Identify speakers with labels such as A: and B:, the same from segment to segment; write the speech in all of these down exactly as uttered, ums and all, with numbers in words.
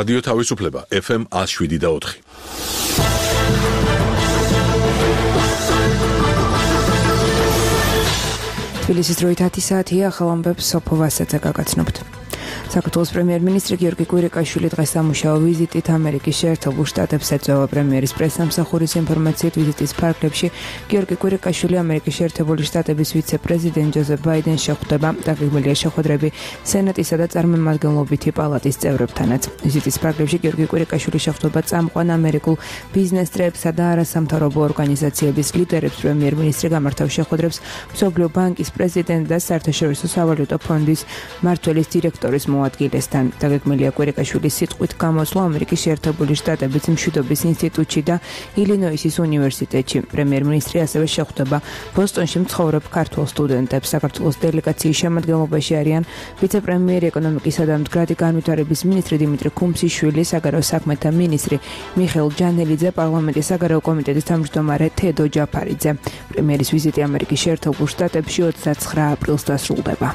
A: რადიო თავისუფლება ეფ ემ one oh seven და four.
B: თბილისის დროით ათი საათია, ახალ ამბებს სოფო ვასაძე გაგაცნობთ. საქართველოს პრემიერ-მინისტრი გიორგი კვირიკაშვილი დღეს სამუშაო ვიზიტით ამერიკის შეერთებულ შტატებს ეწევა. პრემიერის პრესსამსახურის ინფორმაციით ვიზიტის ფარგლებში გიორგი კვირიკაშვილი ამერიკის შეერთებული შტატების ვიცე-პრეზიდენტ ჯოზეფ ბაიდენს შეხვდება. დაგეგმილია შეხვედრები სენატისა და წარმომადგენლობითი პალატის წევრებთანაც. ვიზიტის ფარგლებში გიორგი კვირიკაშვილი შეხვდება წამყვან ამერიკულ ბიზნესტრებსა და არასამთავრობო ორგანიზაციების ლიდერებს. პრემიერ-მინისტრი გამართავს შეხვედრებს მსოფლიო ბანკის პრეზიდენტ და საერთაშორისო სავალუტო ფონდის მმართველის დირექტორის მოადგილესთან. დაგეგმილია კვირიკაშვილის სიტყვით გამოსვლა ამერიკის შეერთებული შტატების მშვიდობის ინსტიტუტში და ილინოისის უნივერსიტეტში. პრემიერ-მინისტრი ასევე შეხვდება ბოსტონში მცხოვრებ ქართულ სტუდენტებს. საქართველოს დელეგაციის შემადგენლობაში არიან ვიცე-პრემიერი ეკონომიკისა და მდგრადი განვითარების მინისტრი დიმიტრი ქუმსიშვილი, საგარეო საქმეთა მინისტრი მიხეილ ჯანელიძე, პარლამენტის საგარეო კომიტეტის თავმჯდომარე თედო ჯაფარიძე. პრემიერის ვიზიტი ამერიკის შეერთებულ შტატებში ოცდაცხრა აპრილს დასრულდება.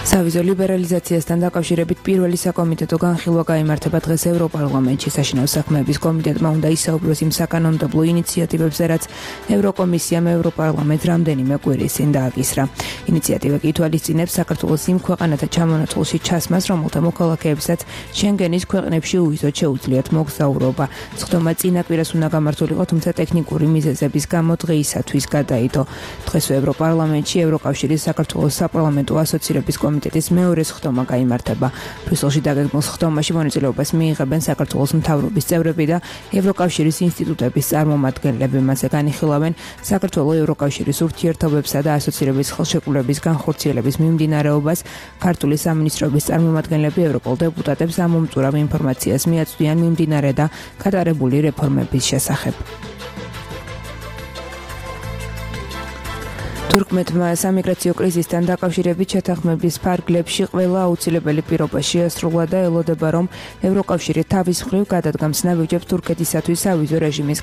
B: სავიზო ლიბერალიზაციასთან დაკავშირებით პირველი საკომიტეტო განხილვა გაიმართება დღეს ევროპარლამენტში. საშინაო საქმეების კომიტეტმა უნდა ისაუბროს იმ საკანონმდებლო ინიციატივებზე, რაც ევროკომისიამ ევროპარლამენტს რამდენიმე კვირის წინ დააკისრა. ინიციატივა კი ითვალისწინებს საქართველოს იმ ქვეყანათა ჩამონათვალში ჩასმას, რომელთა მოქალაქეებსაც შენგენის ქვეყნებში უვიზოდ შეუძლიათ მოგზაურობა. სხდომა წინა კვირას უნდა გამართულიყო, თუმცა ტექნიკური მიზეზების გამო დღეისათვის გადაიდო. დღეს ევროპარლამენტში ევროკავშირის საქართველოს საპარლამენტო ასოცირების კომიტეტის მეორე სხდომა გაიმართება. ბრიუსელში დაგეგმილ სხდომაში მონაწილეობას მიიღებენ საქართველოს მთავრობის წევრები და ევროკავშირის ინსტიტუტების წარმომადგენლები. მასზე განიხილავენ საქართველოს ევროკავშირის ურთიერთობებსა და ასოცირების ხელშეკრულების განხორციელების მიმდინარეობას. ქართული სამინისტროების წარმომადგენლები ევროპულ დეპუტატებს ამომწურავ ინფორმაციას მიაწვდიან მიმდინარე და გატარებული რეფორმების შესახებ. თურქმეთმა სამიგრაციო კრიზისთან დაკავშირებით შეთანხმების ფარგლებში ყველა აუცილებელი პირობა შეასრულა და ელოდება, რომ ევროკავშირი თავის მხრივ გადადგამს ნაბიჯებს თურქეთისათვის სავიზო რეჟიმის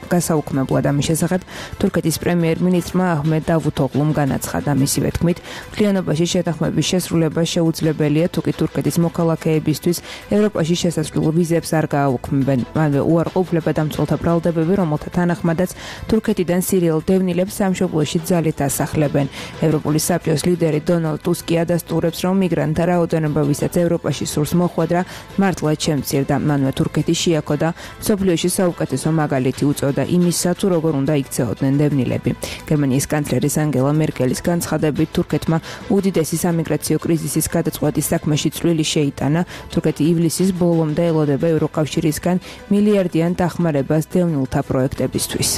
B: გასაუქმებლად. ამის შესახებ თურქეთის პრემიერ-მინისტრმა აჰმედ დავუთოღლუმ განაცხადა. მისივე თქმით, მთლიანობაში შეთანხმების შესრულება შეუძლებელია, თუკი თურქეთის მოქალაქეებისთვის ევროპაში შესასვლელ ვიზებს არ გააუქმებენ. მანვე უარყოფილება დამცველთა ბრალდებები, რომელთა თანახმადაც თურქეთიდან სირიელ დევნილებს სამშობლოში ძალით ასახლებენ. ევროპული საბჭოს ლიდერი დონალდ ტუსკი ადასტურებს, რომ მიგრანტთა რაოდენობა, ვისაც ევროპაში სურს მოხვედრა, მართლაც შემცირდა. მანვე თურქეთი შეაქო და მსოფლიოში საუკეთესო მაგალითი უწოდა იმისა, თუ როგორ უნდა იქცეოდნენ დევნილები. გერმანიის კანცლერის ანგელა მერკელის განცხადებით, თურქეთმა უდიდესი სამიგრაციო კრიზისის გადაწყვეტის საქმეში წვლილი შეიტანა. თურქეთი ივლისის ბოლომდე ელოდება ევროკავშირისგან მილიარდიან დახმარებას დევნილთა პროექტებისთვის.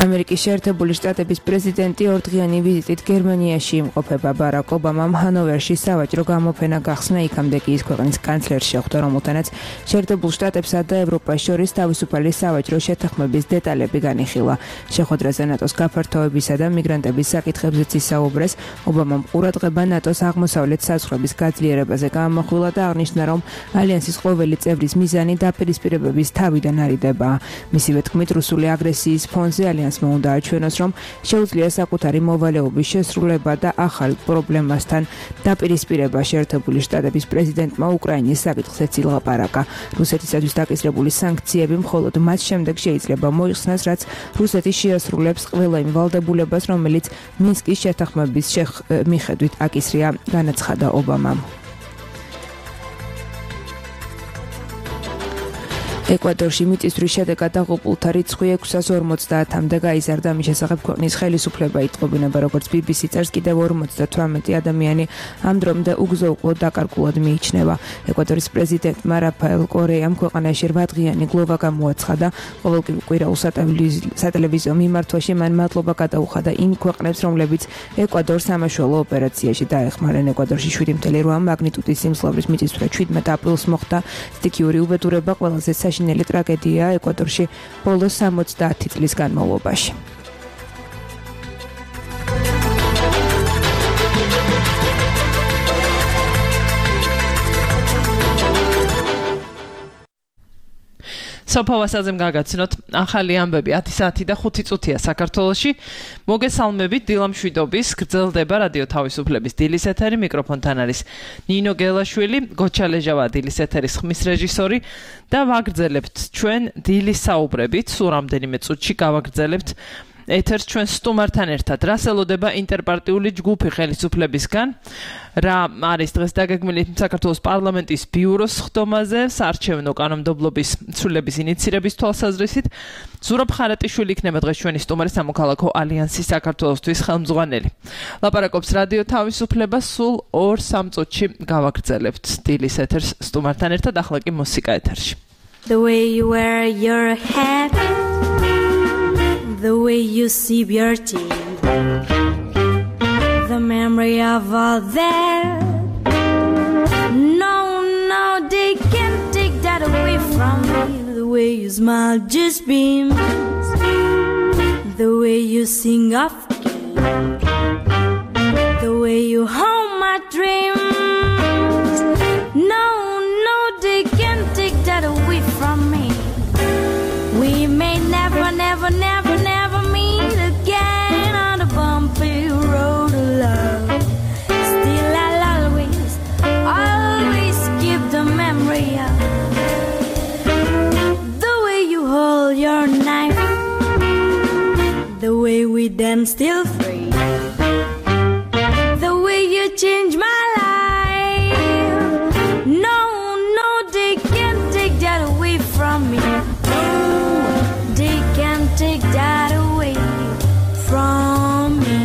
B: ამერიკის შეერთებული შტატების პრეზიდენტი ორდღიანი ვიზიტით გერმანიაში იმყოფება. ბარაკ ობამამ ჰანოვერში სავაჭრო გამოფენა გახსნა, იქამდე კი ის ქვეყნის კანცლერს შეხვდა, რომელთანაც შეერთებულ შტატებსა და ევროპას შორის თავისუფალი სავაჭრო შეთანხმების დეტალები განიხილა. შეხვედრაზე ნატოს გაფართოებისა და მიგრანტების საკითხებზეც ისაუბრეს. ობამამ ყურადღება ნატოს აღმოსავლეთ საზღვრების გაძლიერებაზე გაამახვილა და აღნიშნა, რომ ალიანსის ყოველი წევრის მიზანი დაპირისპირებების თავიდან არიდება. მისივე თქმით, რუსული აგრესიის ფონზე ალიანსმა უნდა აჩვენოს, რომ შეუძლია საკუთარი მოვალეობის შესრულება და ახალ პრობლემასთან დაპირისპირება. შეერთებული შტატების პრეზიდენტმა უკრაინის საკითხზეც ილაპარაკა. რუსეთისათვის დაკისრებული სანქციები მხოლოდ მას შემდეგ შეიძლება მოიხსნას, რაც რუსეთი შეასრულებს ყველა იმ ვალდებულებას, რომელიც მინსკის შეთანხმების მიხედვით აკისრია, განაცხადა ობამამ. ეკვადორში მიწისძვრის შედეგად დაღუპულთა რიცხვი ექვსას ორმოცდაათამდე გაიზარდა. ამის შესახებ ქვეყნის ხელისუფლება იტყობინება, როგორც ბი ბი სი წერს, კიდევ ორმოცდათვრამეტი ადამიანი ამ დრომდე უგზო-უკვლოდ დაკარგულად მიიჩნევა. ეკვადორის პრეზიდენტმა რაფაელ კორეამ ქვეყანაში რვადღიანი გლოვა გამოაცხადა. ყოველკვირაულ სატელევიზიო მიმართვაში მან მადლობა გადაუხადა იმ ქვეყნებს, რომლებიც ეკვადორს სამაშველო ოპერაციაში დაეხმარნენ. ეკვადორში შვიდი ფاصლე რვა მაგნიტუდის სიმძლავრის მიწისძვრა შვიდმეტ აპრილს მოხდა. სტიქიური უბედურება ყველაზე საშინელი ტრაგედია ეკვადორში ბოლოს სამოცდაათი წლის განმავლობაში.
C: სოფავასაძემ გაგაცნოთ ახალი ამბები ათი საათი და ხუთი წუთია საქართველოში. მოგესალმებით, დილამშვიდობის, გრძელდება რადიო თავისუფლების დილის ეთერი, მიკროფონთან არის ნინო გელაშვილი, გოჩალეჟავა დილის ეთერის ხმის რეჟისორი და ვაგრძელებთ ჩვენ დილის საუბრებით, სულ რამდენიმე წუთში გავაგრძელებთ ეთერს ჩვენ სტუმართან ერთად. რას ელოდება ინტერპარტიული ჯგუფი ხელისუფლებისგან? რა არის დღეს დაგეგმილი საქართველოს პარლამენტის ბიუროს ხდომაზე, საარჩევნო კანონმდებლობის ცვლილების ინიცირების თვალსაზრისით? ზურაბ ხარატიშვილი იქნება დღეს ჩვენი სტუმარი, სამოქალაქო ალიანსის საქართველოსთვის ხელმძღვანელი. ლაპარაკობს რადიო თავისუფლება, სულ ორ სამ წუთში გავაგრძელებთ დილის ეთერს სტუმართან ერთად, ახლა კი მუსიკა ეთერში.
D: The way you wear your hat, the way you sip your tea, the memory of all that, no, no, they can't take that away from me. The way you smile just beams, the way you sing off key, the way you hold my dreams, no, no, they can't take that away from me. We may never, never, never, never meet again on the bumpy road of love. Still I'll always, always keep the memory of the way you hold your knife, the way we dance still free, the way you change my life. No, no, they can't take that away from me. They can't take that away from me.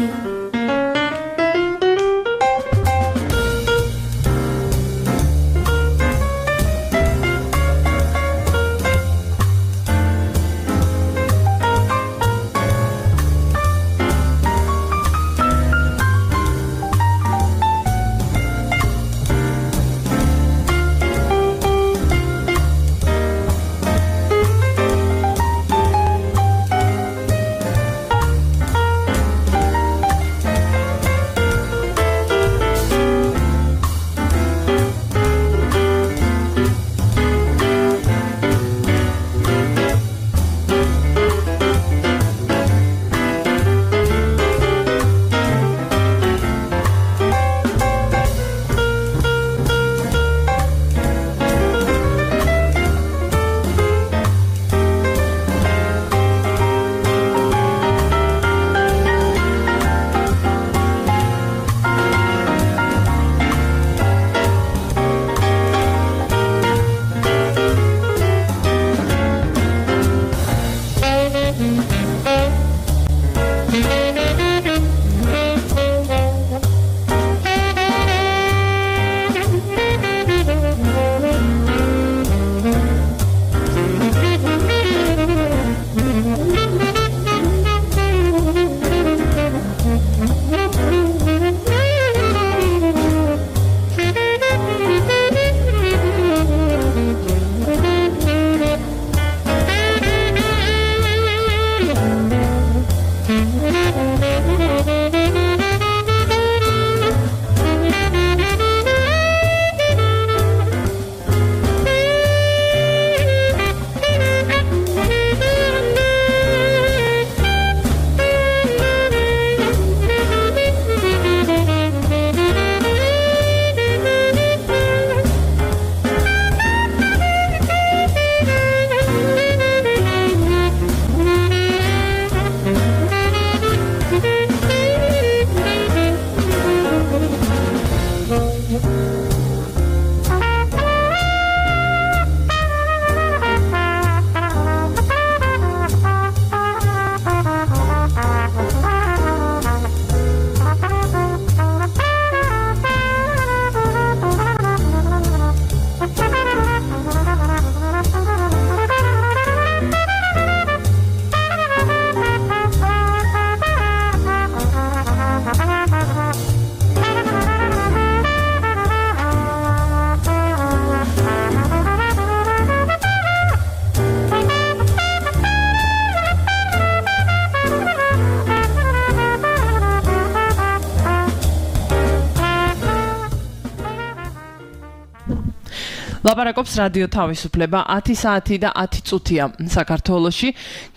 C: ლაპარაკობს რადიო თავისუფლება ათი საათი და ათი წუთია საქართველოში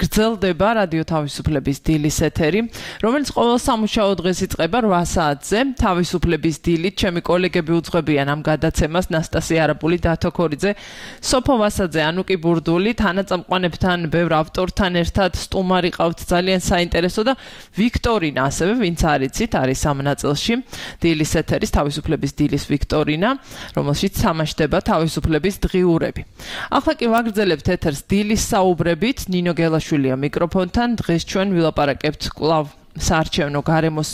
C: გრძელდება რადიო თავისუფლების დილის ეთერი, რომელიც ყოველ სამუშაო დღეს იწყება რვა საათზე. თავისუფლების დილით ჩემი კოლეგები უძღვებიან ამ გადაცემას ნასტასია არაბული, დათო ქორიძე, სოფო ვასაძე, ანუკი ბურდული, თანაწამყვანებთან, ბევრ ავტორთან ერთად სტუმარი ყავთ ძალიან საინტერესო და ვიქტორინა ასევე, ვინც არიცით, არის ამ ნაწილში დილის ეთერის თავისუფლების დილის ვიქტორინა, რომელშიც თამაშდება თავისუფლების დღიურები. ახლა კი ვაგრძელებთ ეთერს დილის საუბრებით, ნინო გელაშვილია მიკროფონთან. დღეს ჩვენ ვილაპარაკებთ კვლავ საარჩევნო გარემოს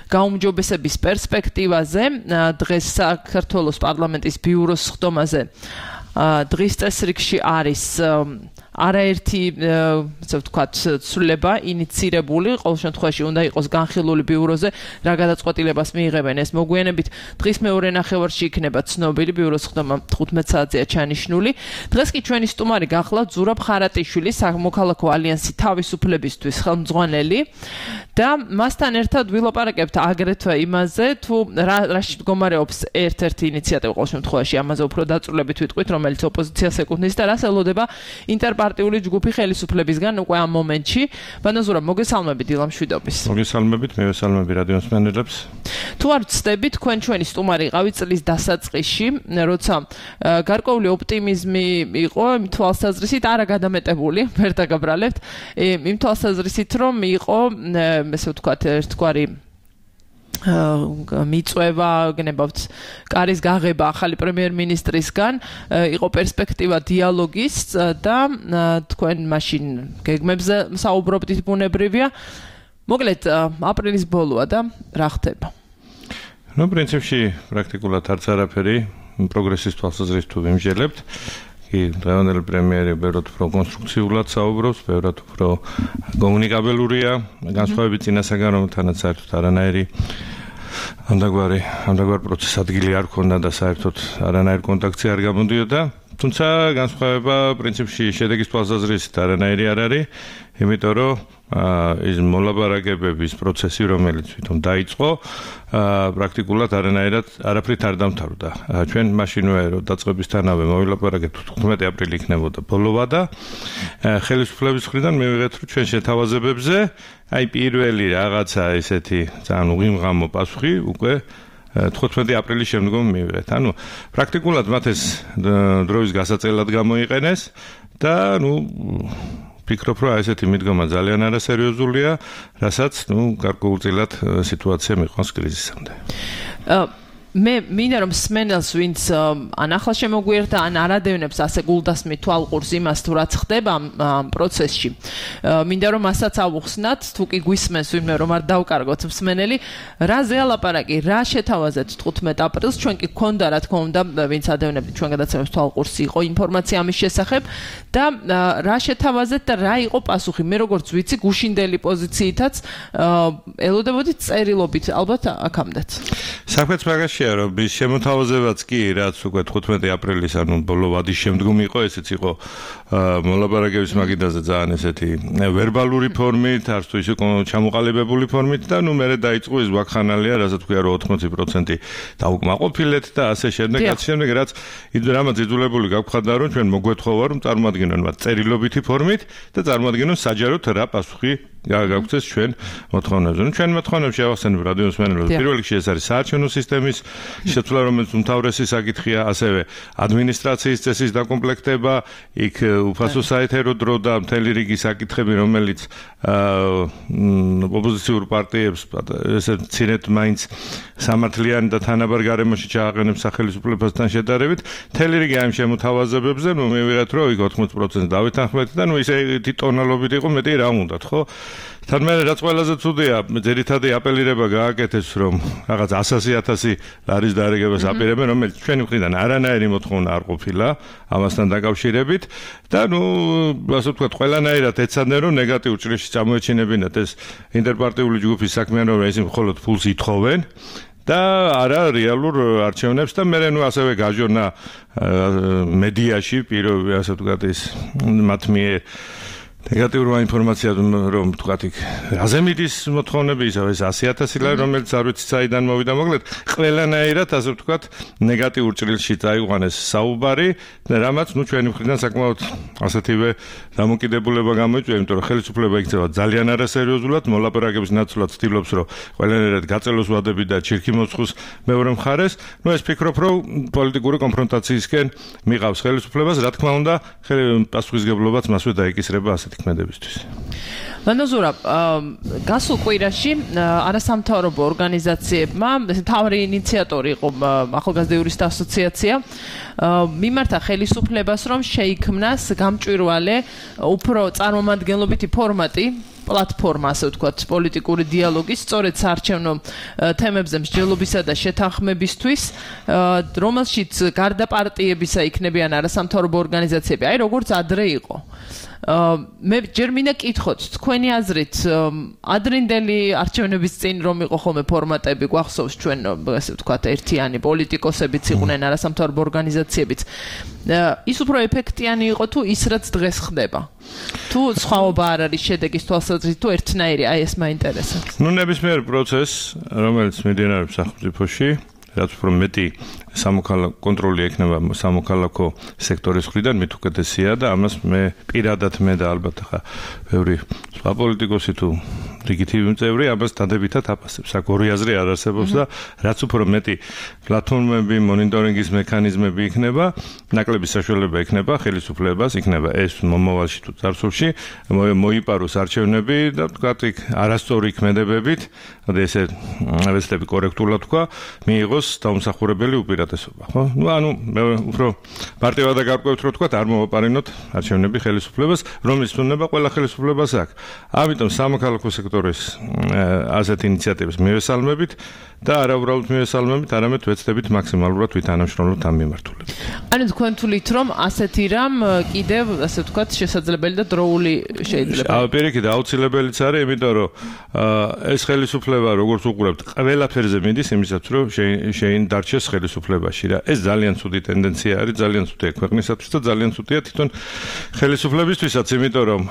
C: გაუმჯობესების პერსპექტივაზე, დღეს საქართველოს პარლამენტის ბიუროს სხდომაზე დღის წესრიგში არის არაერთი, ასე ვთქვათ, ცვლილება ინიცირებული, ყოველ შემთხვევაში უნდა იყოს განხილული ბიუროზე, რა გადაწყვეტილებას მიიღებენ ეს მოგვიანებით. დღის მეორე ნახევარში იქნება ცნობილი ბიუროს სხდომა თხუთმეტ საათზეა ჩანიშნული. დღეს კი ჩვენი სტუმარი გახლავთ ზურაბ ხარატიშვილი, სამოქალაქო ალიანსი თავისუფლებისთვის ხელმძღვანელი და მასთან ერთად ვილაპარაკებთ აგრეთვე იმაზე, თუ რაში მდგომარეობს ერთ-ერთი ინიციატივა, ყოველ შემთხვევაში ამაზე უფრო დაწვრილებით ვიტყვით, რომელიც ოპოზიციას ეკუთვნის და რას ელოდება ინტერპარტიული ჯგუფი ხელისუფლებისგან უკვე ამ მომენტში. ბანაზურა, მოგესალმებით დილამ შვიდობის.
E: მოგესალმებით, მე ვესალმები რადიო მსმენელებს.
C: თუ არ ვცდებით, თქვენ ჩვენი სტუმარი ყავით წლის დასაწყისში, როცა გარკვეული ოპტიმიზმი იყო, იმ თვალსაზრისით არა გადამეტებული, ვერ დაგაბრალებთ, იმ თვალსაზრისით რომ იყო, ესე ვთქვათ, ერთგვარი მიწვევა, გნებავთ კარის გაღება ახალი პრემიერ-მინისტრისგან, იყო პერსპექტივა დიალოგის და თქვენ მაშინ გეგმებზე საუბრობდით, ბუნებრივია. მოკლედ, აპრილის ბოლოა და რა ხდება?
E: ნუ პრინციპში პრაქტიკულად არც არაფერი პროგრესის თვალსაზრისით თუ ვიმსჯელებთ. კი, დღევანდელი პრემიერი ბევრად უფრო კონსტრუქციულად საუბრობს, ბევრად უფრო კომუნიკაბელურია, განსხვავებით წინასაგან, რომ თანაც საერთოდ არანაირი ამდაგვარი ამდაგვარ პროცესს ადგილი არ ქონდა და საერთოდ არანაირ კონტაქტი არ გამოდიოდა. თუმცა განსხვავება პრინციპში შედეგის თვალსაზრისით არანაირი არ არის, იმიტომ რომ ის მოლაპარაკებების პროცესი, რომელიც თვითონ დაიწყო, პრაქტიკულად არანაირად არაფრით არ დამთავრდა. ჩვენ მაშინვე რომ დაწყებისთანავე მოვილაპარაკეთ, თხუთმეტი აპრილი იქნებოდა ბოლოვა და ხელისუფლების მხრიდან მივიღეთ, რომ ჩვენ შეთავაზებებზე აი პირველი რაღაცა ესეთი ძალიან უღიმღამო პასუხი უკვე თხუთმეტი აპრილის შემდგომ მივიღეთ. ანუ პრაქტიკულად მათ ეს დროის გასაწელად გამოიყენეს და ნუ ფიქრობ, რომ ესეთი მიდგომა ძალიან არასერიოზულია, რასაც ნუ გარკვეულწილად სიტუაცია მიყვანს კრიზისამდე.
C: მე მინდა რომ სმენელს, ვინც ან ახლა შემოგვიერთა, ან არადევნებს ასე გულდასმით თვალყურს იმას, თუ რაც ხდება ამ პროცესში. მინდა რომ მასაც ავუხსნათ, თუ კი გვისმენს ვინმე რომ არ დავკარგოთ მსმენელი, რა ზეალაპარაკი, რა შეთავაზეთ თხუთმეტ აპრილს, ჩვენ კი გქონდა, რა თქმა უნდა, ვინც ადევნებთ ჩვენ გადაცემებს თვალყურს, იყო ინფორმაცია ამის შესახებ და რა შეთავაზეთ და რა იყო პასუხი. მე როგორც ვიცი, გუშინდელი პოზიციითაც ელოდებოდით წერილობით, ალბათ აქამდეც.
E: საქმეც მაგაშია, რომ ის შემოთავაზებაც კი, რაც უკვე თხუთმეტი აპრილის, ანუ ბოლო ვადის შემდგომ იყო, ესეც იყო მოლაპარაკების მაგიდაზე ძალიან ესეთი ვერბალური ფორმით, არც თუ ისე ჩამოყალიბებული ფორმით და ნუ მერე დაიწყო ეს ვაკხანალია, რასაც ქვია რომ ოთხმოცი პროცენტი დაუკმაყოფილეთ და ასე შემდეგ, რაც შემდეგ, რაც რამაც იძულებული გავხადა, რომ ჩვენ მოგვეთხოვა, რომ წარმოადგინონ მათ წერილობითი ფორმით და წარმოადგინონ საჯაროდ რა პასუხი გაგვცეს ჩვენ მოთხოვნებზე. ნუ ჩვენ მოთხოვნებში ავახსენებ რადიო მსმენელებს, პირველ რიგში ეს არის საარჩევნო სისტემის შეცვლა, რომელიც უმთავრესი საკითხია, ასევე ადმინისტრაციის წესის დაკომპლექტება, იქ უფასო საეთერო დრო და მთელი რიგი საკითხები, რომელიც ოპოზიციურ პარტიებს ესე ცირეთ მაინც სამართლიანი და თანაბარ გარემოში ჩააყენებს სახელმწიფოსთან შედარებით, მთელი რიგი ამ შემოთავაზებებზე, ნუ მივიღეთ, რომ იქ ოთხმოცი პროცენტი დავითანხმეთ და ნუ ისე თვითონალობით იყო, მეტი რა უნდათ, ხო? თან მე რაც ყველაზე ცუდია, ძირითადი აპელირება გააკეთეს, რომ რაღაც ასასი ათასი ლარის დარიგებას აპირებენ, რომელიც ჩვენი მხრიდან არანაირი მოთხოვნა არ ყოფილა ამასთან დაკავშირებით და ნუ ასე ვთქვათ, ყველანაირად ეცადნენ, რომ ნეგატიურ ჭრილში წამოეჩინებინათ ეს ინტერპარტიული ჯგუფის საქმიანობა, ისინი მხოლოდ ფულს ითხოვენ და არა რეალურ არჩევნებს და მე ნუ ასევე გაჟორნა მედიაში, პირო ასე ვთქვათ, ის მათ მიერ ნეგატიურმა ინფორმაციამ რომ თქვათ იქ რაზე მიდის მოთხოვნები ისა ეს ასი ათასი ლარი რომელიც არ ვიცი საიდან მოვიდა მოკლედ ყველანაირად ასე ვთქვათ ნეგატიურ ჭრილში წაიყვანეს საუბარი და რამაც ნუ ჩვენი მხრიდან საკმაოდ ასეთივე დამოკიდებულება გამოიწვია იმიტომ რომ ხელისუფლება იქცევა ძალიან არასერიოზულად მოლაპარაკების ნაცვლად ცდილობს რომ ყველანაირად გაწელოს ვადები და ჩირქი მოცხოს მეორე მხარეს ნუ ეს ფიქრობ რომ პოლიტიკური კონფრონტაციისკენ მიყავს ხელისუფლებას რა თქმა უნდა პასუხისგებლობაც მასვე დაიკისრება ასეთ ქმედებისთვის.
C: მანოზურა, გასულ კვირაში არასამთავრობო ორგანიზაციებმა თავი ინიციატორი იყო ახალგაზრდა იურისტთა ასოციაცია მიმართა ხელისუფლებას რომ შეიქმნას გამჭვირვალე უფრო წარმომადგენლობითი ფორმატი პლატფორმა ასე ვთქვათ პოლიტიკური დიალოგის სწორედ საარჩევნო თემებზე მსჯელობისა და შეთანხმებისთვის რომელშიც გარდა პარტიებისა იქნებიან არასამთავრობო ორგანიზაციები აი როგორც ადრე იყო მე ჯერ მინდა კითხოთ თქვენი აზრით ადრინდელი არჩევნების წინ რომ იყო ხოლმე ფორმატები გვახსოვს ჩვენ ასე ვთქვათ ერთიანი პოლიტიკოსებიც იყვნენ არასამთავრობო ორგანიზაციებიც ის უფრო ეფექტიანი იყო თუ ის რაც დღეს ხდება თუ სხვაობა არ არის შედეგის თვალსაზრისით თუ ერთნაირი აი ეს მაინტერესებს
E: ნუ ნებისმიერ პროცესს რომელიც მიმდინარეობს სახელმწიფოში რაც უფრო მეტი სამოქალაქო კონტროლი ექნება სამოქალაქო სექტორის მხრიდან მით უკეთესია და ამას მე პირადად მე და ალბათ ხა ბევრი სხვა პოლიტიკოსი თუ ლეგიტიმური წევრი ამას დადებითად აფასებს. აქ ორი აზრი არ არსებობს და რაც უფრო მეტი პლატფორმები, მონიტორინგის მექანიზმები იქნება, ნაკლები საშუალება იქნება ხელისუფლებას, იქნება ეს მომავალში თუ წარსულში მოიპაროს არჩევნები და თქვათ იქ არასწორი ქმედებებით, და ესე ვეცდები კორექტულად თქვა, მიიღოს დაუმსახურებელი უპირატესობა, ხო? ნუ ანუ მე უფრო პარტიადა გარკვევთ რომ თქვათ არ მოვაპარინოთ არჩევნები ხელისუფლებას, რომლის თუნება ყველა ხელისუფლებას აქვს. ამიტომ სამოქალაქო სექტორის ასეთ ინიციატივებს მივესალმებით და არა უბრალოდ მივესალმებით, არამედ ვეცდებით მაქსიმალურად ვითანამშრომლოთ ამ მიმართულებით.
C: ანუ თქვენ თვლით რომ ასეთი რამ კიდევ ასე ვთქვათ შესაძლებელი და დროული შეიძლება.
E: აა პირიქით აუცილებელიც არის, იმიტომ რომ ეს ხელისუფლება როგორც უყურებთ, ყველაფერზე მიდის იმისაც რომ შეინ დარჩეს ხელისუფლებაში რა. ეს ძალიან ცუდი ტენდენცია არის, ძალიან ცუდია ქვეყნისათვის და ძალიან ცუდია თვითონ ხელისუფლებისთვისაც, იმიტომ რომ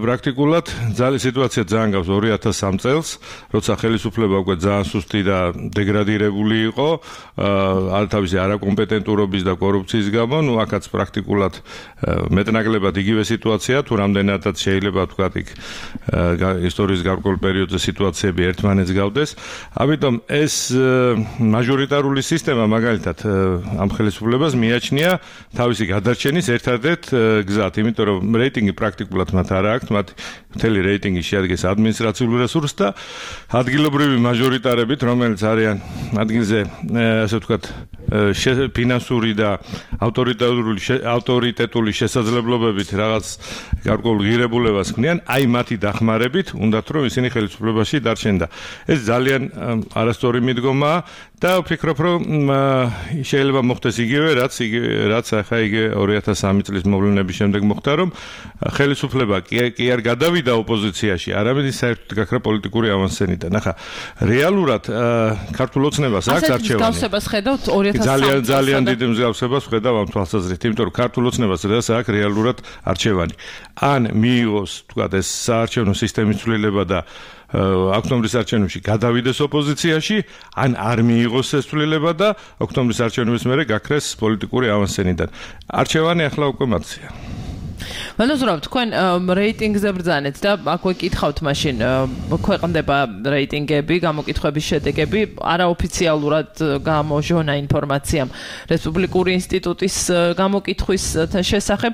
E: პრაქტიკულად ძალიან სიტუაცია ძალიან გავს ორი ათას სამ წელს, როცა ხელისუფლება უკვე ძალიან სუსტი და დეგრადირებული იყო, აა თავისი არაკომპეტენტურობის და კორუფციის გამო, ნუ აქაც პრაქტიკულად მეტნაკლებად იგივე სიტუაცია, თუ რამდენადაც შეიძლება ვთქვათ იქ ისტორიის გარკვეულ პერიოდზე სიტუაციები ერთმანეთს გავდეს. ამიტომ ეს მაჟორიტარული სისტემა მაგალითად ამ ხელისუფლებას მიაჩნია თავისი გადარჩენის ერთადერთ გზად, იმიტომ რომ რეიტინგი პრაქტიკულად მათ არ აქვს, მათ მთელი რეიტინგი შეადგენს ადმინისტრაციულ რესურსს და ადგილობრივი მაჟორიტარებით, რომელიც არიან ადგილზე, ასე ვთქვათ, ფინანსური და ავტორიტეტული ავტორიტეტული შესაძლებლობებით რაღაც გარკვეულ ღირებულებას ქმნიან, აი მათი დახმარებით უნდათ რომ ისინი ხელისუფლებაში დარჩენ და ეს ძალიან არასწორი მიდგომაა და ვფიქრობ რომ შეიძლება მოხდეს იგივე რაც რაც ახლა იგივე ორი ათას სამი წლის მოვლენების შემდეგ მოხდა რომ ხელისუფლება კი არ გადავიდა ოპოზიციაში, არამედ საერთოდ გაქრა პოლიტიკური ავანსცენიდან. ახლა რეალურად ქართულ ოცნებას აქვს არჩევანი.
C: ასეთ მსგავსებას ხედავთ ორი ათას სამი
E: ძალიან ძალიან დიდი მსგავსებას ხედავ ამ თვალსაზრისით, იმიტომ რომ ქართულ ოცნებას დღეს აქვს რეალურად არჩევანი. ან მიიღოს, თქვათ, ეს საარჩევნო სისტემის ცვლილება და ოქტომბრის არჩევნებში გადავიდეს ოპოზიციაში, ან არ მიიღოს ეს ცვლილება და ოქტომბრის არჩევნების მერე გაქრეს პოლიტიკური ავანსცენიდან. არჩევანი ახლა უკვე მათზეა.
C: მანოზურა, თქვენ რეიტინგზე ბრძანეთ და აქვე კითხავთ მაშინ ქვეყნდება რეიტინგები, გამოკითხვების შედეგები, არაოფიციალურად გამოჟონა ინფორმაციამ რესპუბლიკური ინსტიტუტის გამოკითხვის შესახებ.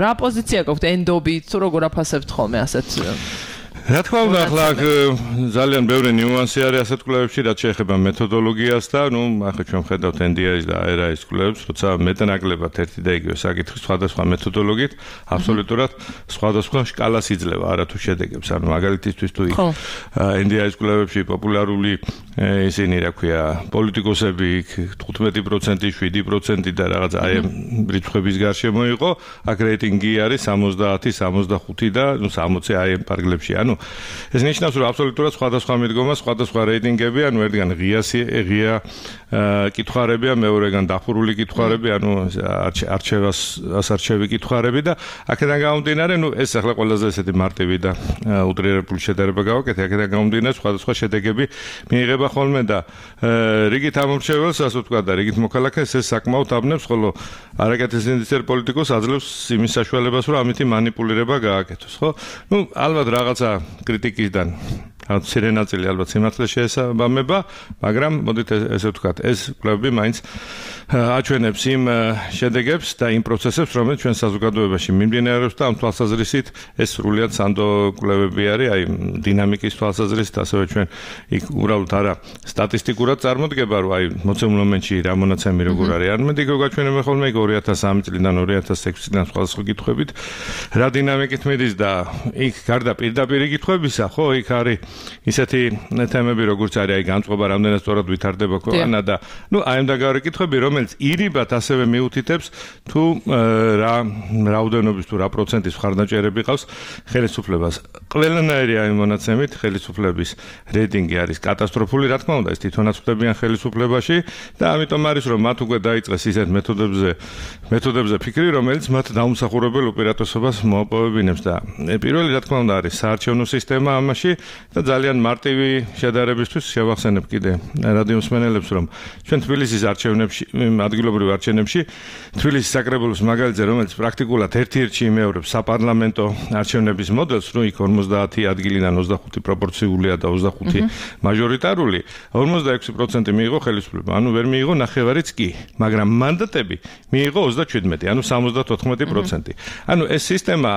C: რა პოზიცია გაქვთ ენდობით, თუ როგორ აფასებთ ხოლმე ასეთ
E: რა თქმა უნდა, ახლა ძალიან ბევრი ნიუანსი არის ასეთ კვლევებში, რაც შეეხება მეთოდოლოგიას და ნუ ახლა ჩვენ ხედავთ ენ დი აის და არ აის კვლევებს, როცა მეტნაკლებად ერთი და იგივე საკითხი სხვადასხვა მეთოდოლოგიით აბსოლუტურად სხვადასხვა სკალას იძლევა, არა თუ შედეგებს. ანუ მაგალითისთვის თუ ენ დი აის კვლევებში პოპულარული ისინი რა ქვია, პოლიტიკოსები იქ თხუთმეტი პროცენტი, შვიდი პროცენტი და რაღაც აი ამ რიცხვების გარშემო იყო, აქ რეიტინგი არის სამოცდაათი, სამოცდახუთი და ნუ სამოცი აი ამ პარგლებში. ანუ ეს ნიშნავს, რომ აბსოლუტურად სხვადასხვა მიდგომა, სხვადასხვა რეიტინგები, ანუ ერთგან ღიასი, ღია კითხარებია, მეორეგან დახურული კითხარები, ანუ არჩევას ასარჩევი კითხარები და აქედან გამომდინარე, ნუ ეს ახლა ყველაზე ესეთი მარტივი და უტრირებული შედარება გავაკეთე, აქედან გამომდინარე სხვადასხვა შედეგები მიიღება ხოლმე და რიგით ამორჩეველს, ასე ვთქვათ, და რიგით მოქალაქეს ეს საკმაოდ აბნევს, ხოლო არაკეთილ ინდივიდუალურ პოლიტიკოს აძლევს იმის საშუალებას, რომ ამითი манипуლირება გააკეთოს, ხო? ნუ ალბათ რაღაცა კრიტიკისგან მცირე ნაწილი ალბათ სიმართლე შეესაბამება, მაგრამ მოდით ესე ვთქვათ, ეს კვლევები მაინც აჩვენებს იმ შედეგებს და იმ პროცესებს, რომელიც ჩვენ საზოგადოებაში მიმდინარეობს და ამ თვალსაზრისით ეს სრულიად სანდო კვლევები არის, აი დინამიკის თვალსაზრისით, ასევე ჩვენ იქ უბრალოდ არა სტატისტიკურად წარმოდგება, რომ აი მოცემულ მომენტში რა მონაცემი როგორ არის. არამედ იქ გაჩვენებენ ხოლმე იქ ორი ათას სამი წლიდან ორი ათას ექვსი წლიდან სხვადასხვა კითხვებით რა დინამიკით მიდის და იქ გარდა პირდაპირი კითხვებისა, ხო, იქ არის ისეთი თემები, როგორც არის აი განწყობა, რამდენად სწორად ვითარდება ქვეყანა და ნუ აი ამ დაგავრი კითხვები, რომელიც ირიბად ასევე მიუთითებს თუ რა რაოდენობის თუ რა პროცენტის მხარდაჭერები ყავს ხელისუფლებას. ყველანაირი აი მონაცემით ხელისუფლების რეიტინგი არის კატასტროფული, რა თქმა უნდა, ეს თვითონაც ხვდებიან ხელისუფლებაში და ამიტომ არის რომ მათ უკვე დაიწყეს ისეთ მეთოდებზე მეთოდებზე ფიქრი, რომელიც მათ დაუმსახურებელ უპირატესობას მოაპოვებინებს და პირველი რა თქმა უნდა არის საარჩევნო სისტემა ამაში და ძალიან მარტივი შედარებისთვის შევახსენებ კიდე რადიო მსმენელებს, რომ ჩვენ თბილისის არჩევნებში, ადგილობრივ არჩევნებში, თბილისის საკრებულოს მაგალითზე, რომელიც პრაქტიკულად ერთ-ერთში იმეორებს საპარლამენტო არჩევნების მოდელს, რომ იქ ორმოცდაათი ადგილიდან ოცდახუთი პროპორციულია და ოცდახუთი მაჟორიტარული, ორმოცდაექვსი პროცენტი მიიღო ხელისუფლება, ანუ ვერ მიიღო ნახევარიც კი, მაგრამ მანდატები მიიღო ოცდაჩვიდმეტი, ანუ სამოცდათოთხმეტი პროცენტი. ანუ ეს სისტემა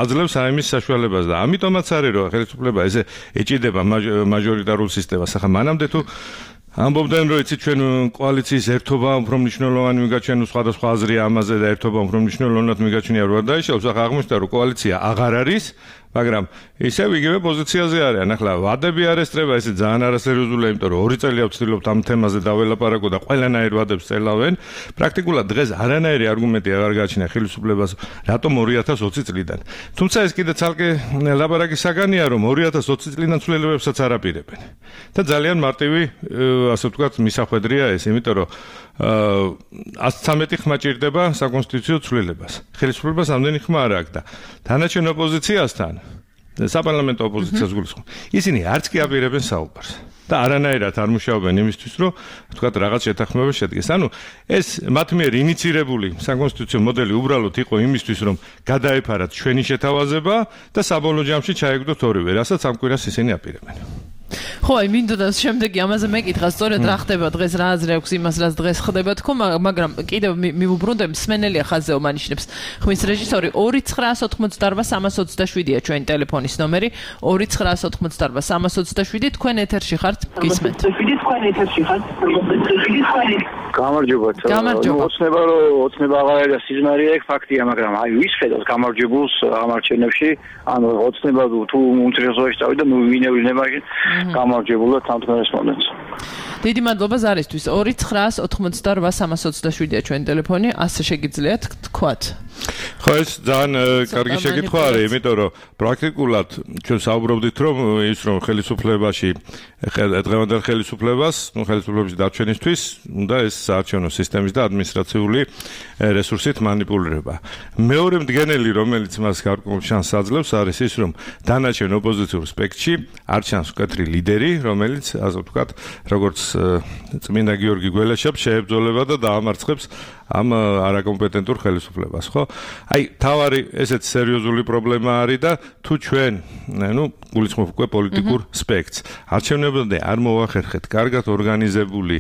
E: აძლევს ამის საშუალებას და ამიტომაც არის, რომ ხელისუფლება ესე ეჭიდება მაჟორიტარულ სისტემას. ახლა მანამდე თუ ამბობდნენ, რომ იცით ჩვენ კოალიციის ერთობა უფრო მნიშვნელოვანი მიგაჩვენოს, სხვადასხვა აზრია ამაზე და ერთობა უფრო მნიშვნელოვნად მიგაჩნია რა დაიშალოს, ახლა აღმოჩნდა, რომ კოალიცია აღარ არის, მაგრამ ისევ იგივე პოზიციაზე არიან. ახლა ვადები არ ესწრება, ესე ძალიან არასერიოზულია, იმიტომ რომ ორი წელია ვცდილობთ ამ თემაზე დაველაპარაკო და ყველანაირ ვადებს წელავენ. პრაქტიკულად დღეს არანაირი არგუმენტი აღარ გააჩნია ხელისუფლებას, რატომ ორი ათას ოცი წლიდან. თუმცა ეს კიდე ცალკე ლაპარაკის საგანია, რომ ორი ათას ოცი წლიდან ცვლილებებსაც არ აპირებენ. და ძალიან მარტივი, ასე ვთქვათ, მისახვედრია ეს, იმიტომ რომ ათს ცამეტი ხმა ჭირდება საკონსტიტუციო ცვლილებას. ხელისუფლებას ამდენი ხმა არ აქვს და თანაჩენ ოპოზიციასთან საპარლამენტო ოპოზიციას გულისხმობ. ისინი არც კი აპირებენ საუბარს და არანაირად არ მუშაობენ იმისთვის, რომ თქვათ რაღაც შეთანხმება შედგეს. ანუ ეს მათ მიერ ინიცირებული საკონსტიტუციო მოდელი უბრალოდ იყო იმისთვის, რომ გადაეფარათ ჩვენი შეთავაზება და საბოლოო ჯამში ჩაეგდოთ ორივე, რასაც ამ კვირას ისინი აპირებენ.
C: ხო, აი მინდოდა შემდეგი ამაზე მეკითხა, სწორედ რა ხდება დღეს, რა აზრი აქვს იმას, რაც დღეს ხდება თქო, მაგრამ კიდევ მივუბრუნდე, მსმენელია ხაზეო მანიშნებს. ხმის რეჟისორი ორი ცხრაას ოთხმოცდაარბა სამას ოცდაშვიდია ჩვენი ტელეფონის ნომერი, ორი ცხრაას ოთხმოცდაარბა სამას ოცდაშვიდი, თქვენ ეთერში ხართ, გისმენთ. თქვენ ეთერში ხართ.
F: გამარჯობათ. ოცნება რომ ოცნება აღარ არის სიზმარია, ეგ ფაქტია, მაგრამ აი ვის ხედავს გამარჯვებულს ამ არჩევნებში, ანუ ოცნება თუ უმცირესობაში წავიდა, ნუ ვინევლინება გამარჯვებულად თამთმერეს მომენტს.
C: დიდი მადლობა ზარისთვის. ორი ცხრაას ოთხმოცდაარბა სამას ოცდაშვიდია ჩვენი ტელეფონი, ასე შეგიძლიათ თქვათ.
E: ხო, ეს ძალიან კარგი შეკითხვა არის, იმიტომ რომ პრაქტიკულად ჩვენ საუბრობდით, რომ ის რომ ხელისუფლებაში დღევანდელ ხელისუფლებას, ნუ ხელისუფლების დარჩენისთვის უნდა ეს საარჩევნო სისტემის და ადმინისტრაციული რესურსით манипуლირება. მეორე მდგენელი, რომელიც მას გარკვეულ შანსს აძლევს, არის ის, რომ დანარჩენ ოპოზიციურ სპექტრში არ ჩანს მკვეთრი ლიდერი, რომელიც, ასე ვთქვათ, როგორც წმინდა გიორგი გველეშაპს შეებრძოლება და დაამარცხებს ამ არაკომპეტენტურ ხელისუფლებას, ხო? აი, თავარი ესეც სერიოზული პრობლემა არის და თუ ჩვენ, ნუ, გულისხმობ უკვე პოლიტიკურ სპექტრს, არჩევნებამდე არ მოვახერხეთ კარგად ორგანიზებული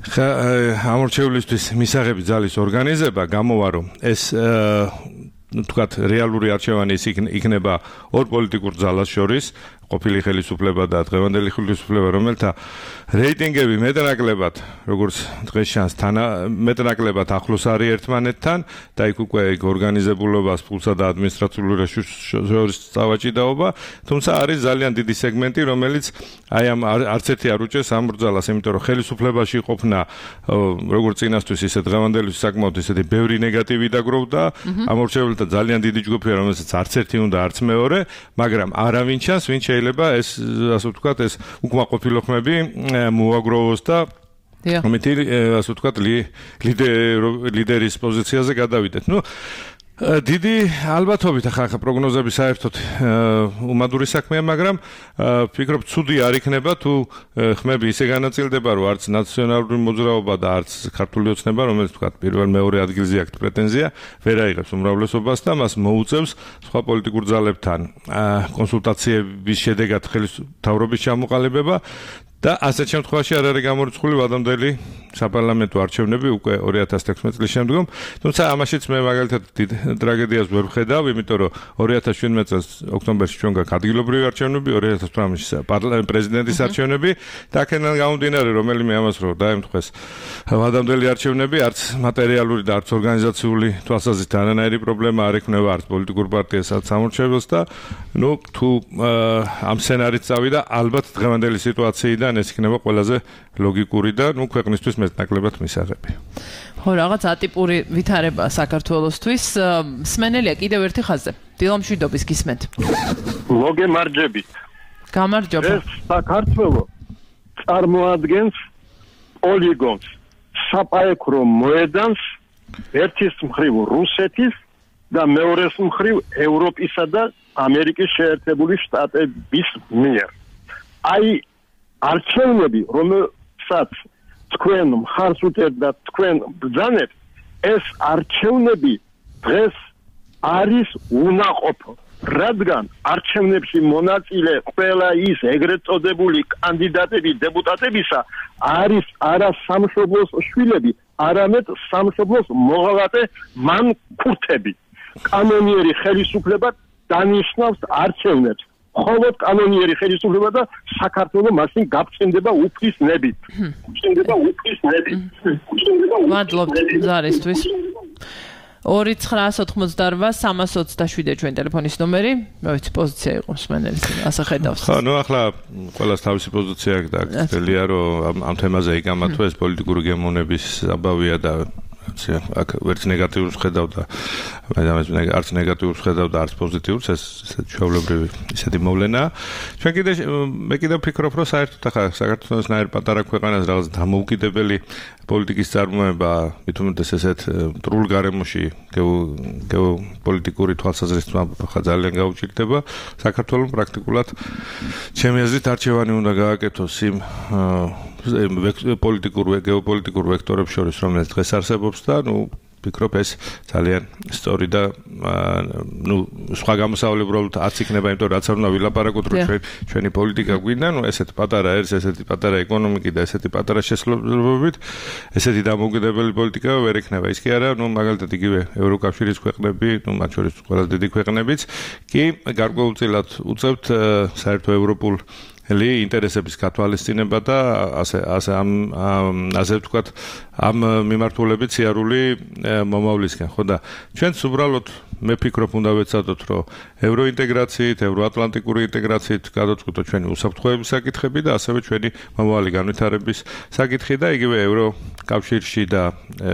E: ამორჩევლისთვის მისაღები ძალის ორგანიზება, გამოვა რომ ეს თქვათ რეალური არჩევანი იქნება ორ პოლიტიკურ ძალას შორის, ყოფილი ხელისუფლება და დღევანდელი ხელისუფლება, რომელთა რეიტინგები მეტნაკლებად, როგორც დღეს ჩანს, მეტნაკლებად ახლოს არის ერთმანეთთან და იქ უკვე იქ ორგანიზებულობას, ფულსა და ადმინისტრაციულ რეესურსებს წავაჭიდაობა, თუმცა არის ძალიან დიდი სეგმენტი, რომელიც აი ამ არც ერთი არ უჭერს ამ ბრძოლას, იმიტომ რომ ხელისუფლებაში ყოფნა როგორც წინასთვის, ისე დღევანდელთვის საკმაოდ ისეთი ბევრი ნეგატივი დაგროვდა, ამორჩეულთა ძალიან დიდი ჯგუფია, რომელსაც არც ერთი უნდა, არც მეორე, მაგრამ არავინ ჩანს, ვინ შეიძლება ეს, ასე ვთქვათ, ეს უკმაყოფილო ხმები მოაგროვოს და ამით, ასე ვთქვათ, ლიდერის პოზიციაზე გადავიდეთ. ნუ დიდი ალბათობით ახლა პროგნოზები საერთოდ უმადური საქმეა, მაგრამ ვფიქრობ, ცუდი არ იქნება თუ ხმები ისე განაწილდება, რომ არც ნაციონალური მოძრაობა და არც ქართული ოცნება, რომელიც ვთქვათ, პირველ მეორე ადგილზე აქვს პრეტენზია, ვერ აიღებს უმრავლესობას და მას მოუწევს სხვა პოლიტიკურ ძალებთან კონსულტაციების შედეგად ხელისთავრობის ჩამოყალიბება და ასეთ შემთხვევაში არ არის გამორიცხული ვადამდელი საპარლამენტო არჩევნები უკვე ორი ათას თექვსმეტ წლის შემდგომ, თუმცა ამაშიც მე მაგალითად დიდ ტრაგედიას ვერ ვხედავ, იმიტომ რომ ორი ათას შვიდმეტ წელს ოქტომბერში ჩვენ გაქვს ადგილობრივი არჩევნები, ორი ათას თვრამეტში პრეზიდენტის არჩევნები და აქედან გამომდინარე, რომელიმე ამას რო დაემთხეს ვადამდელი არჩევნები, არც მატერიალური და არც ორგანიზაციული თვალსაზრისით არანაირი პრობლემა არ ექნება არც პოლიტიკურ პარტიას, არც სამორჩეველს და ნუ თუ ამ სცენარით წავიდა, ალბათ დღევანდელი სიტუაციიდან ეს იქნება ყველაზე ლოგიკური და ნუ ქვეყნისთვის მეტნაკლებად მისაღები.
C: ხო, რაღაც ატიპური ვითარება საქართველოსთვის. მსმენელია კიდევ ერთი ხაზზე. დილამშვიდობის გისმენთ.
G: მოგემარჯებით.
C: გამარჯობა.
G: ეს საქართველო წარმოადგენს პოლიგონს, საპაექრო მოედანს ერთის მხრივ რუსეთის და მეორეს მხრივ ევროპისა და ამერიკის შეერთებული შტატების მიერ. აი არჩევნები, რომელსაც თქვენ მხარს უჭერთ და თქვენ ბრძანებთ, ეს არჩევნები დღეს არის უნაყოფო, რადგან არჩევნებში მონაწილე ყველა ის ეგრეთ წოდებული კანდიდატები დეპუტატებისა არის არა სამშობლოს შვილები, არამედ სამშობლოს მოღალატე მანქურტები. კანონიერი ხელისუფლება დანიშნავს არჩევნებს. მხოლოდ კანონიერი ხელისუფლება და საქართველო მაშინ გაფრთხილდება უფლის ნებით. გაფრთხილდება უფლის ნებით.
C: მადლობთ ზარისთვის. ორი ცხრაას ოთხმოცდაორვა სამას ოცდაშვიდე ჩვენ ტელეფონის ნომერი. მე ვიცი პოზიცია იყო მსმენელის, ასე ხედავს.
E: ხო, ნუ ახლა ყველას თავისი პოზიცია აქვს და გწელია რომ ამ თემაზე იგამათო ეს პოლიტიკური გემოვნების საბავია და აქ ვერც ნეგატიურს ხედავ და მე არც ნეგატიურს ხედავ და არც პოზიტიურს, ეს ჩვეულებრივი ისეთი მოვლენაა. ჩვენ კიდე მე კიდევ ვფიქრობ, რომ საერთოდ ახლა საქართველოს ნაირ პატარა ქვეყანას რაღაც დამოუკიდებელი პოლიტიკის წარმოება, მით უმეტეს ესეთ მტრულ გარემოში გეოპოლიტიკური თვალსაზრისით ახლა ძალიან გაუჭირდება. საქართველოს პრაქტიკულად ჩემი აზრით არჩევანი უნდა გააკეთოს იმ პოლიტიკურ გეოპოლიტიკურ ვექტორებს შორის, რომელიც დღეს არსებობს და ნუ ვფიქრობ ეს ძალიან სწორი და ნუ სხვა გამოსავალი უბრალოდ არც იქნება, იმიტომ რომ რაც არ უნდა ვილაპარაკოთ, რომ ჩვენ ჩვენი პოლიტიკა გვინდა, ნუ ესეთი პატარა არის, ესეთი პატარა ეკონომიკი და ესეთი პატარა შესაძლებლობებით, ესეთი დამოუკიდებელი პოლიტიკა ვერ იქნება. ის კი არა, ნუ მაგალითად იგივე ევროკავშირის ქვეყნები, ნუ მათ შორის ყველაზე დიდი ქვეყნებიც კი გარკვეულწილად უწევთ საერთო ევროპულ ელი ინტერესების გათვალისწინება და ასე ასე ამ ასე ვთქვათ ამ მიმართულებით სიარული მომავლისკენ, ხო და ჩვენც უბრალოდ მე ვფიქრობ უნდა ვეცადოთ, რომ ევროინტეგრაციით, ევროატლანტიკური ინტეგრაციით გადავწყვიტოთ ჩვენი უსაფრთხოების საკითხები და ასევე ჩვენი მომავალი განვითარების საკითხი და იგივე ევროკავშირში და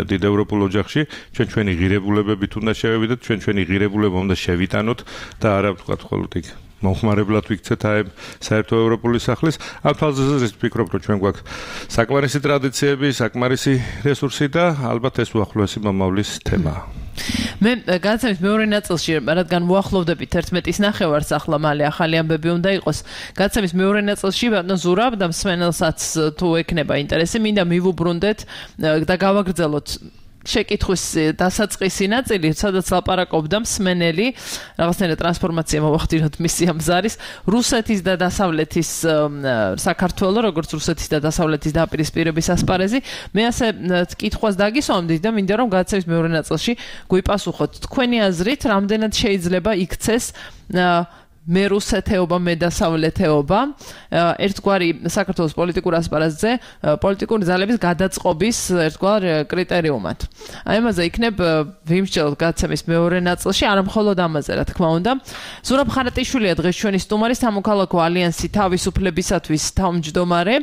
E: დიდ ევროპულ ოჯახში ჩვენ ჩვენი ღირებულებებით უნდა შევევიდეთ, ჩვენ ჩვენი ღირებულება უნდა შევიტანოთ და არა ვთქვათ მხოლოდ იქ მომხმარებლად ვიქცეთ აი საერთო ევროპული სახლის. ამ თვალსაზრისით ვფიქრობ, რომ ჩვენ გვაქვს საკმარისი ტრადიციები, საკმარისი რესურსი და ალბათ ეს უახლოესი მომავლის თემაა.
C: მე გადაცემის მეორე ნაწილში, რადგან უახლოვდებით ერთმეტის ნახევარს, ახლა მალე ახალი ამბები უნდა იყოს. გადაცემის მეორე ნაწილში ბატონ ზურაბ და მსმენელსაც თუ ექნება ინტერესი, მინდა მივუბრუნდეთ და გავაგრძელოთ შეკითხვის დასაწყისი ნაწილი, სადაც ლაპარაკობდა მსმენელი, რაღაცნაირად ტრანსფორმაცია მოვახდინოთ მისი ამ ზარის, რუსეთის და დასავლეთის საქართველოს, როგორც რუსეთის და დასავლეთის დაპირისპირების ასპარეზი. მე ასე კითხვას დაგისვამდით და მინდა რომ გადაცემის მეორე ნაწილში გვიპასუხოთ. თქვენი აზრით, რამდენად შეიძლება იქცეს მე რუსეთეობა, მე დასავლეთეობა, ერთგვარი საქართველოს პოლიტიკურ ასპარეზზე პოლიტიკური ძალების გადაწყობის ერთგვარ კრიტერიუმად. აი ამაზე იქნებ ვიმსჯელოთ გადაცემის მეორე ნაწილში, არა მხოლოდ ამაზე, რა თქმა უნდა. ზურაბ ხარატიშვილია დღეს ჩვენი სტუმარი, სამოქალაქო ალიანსი თავისუფლებისათვის თავმჯდომარე.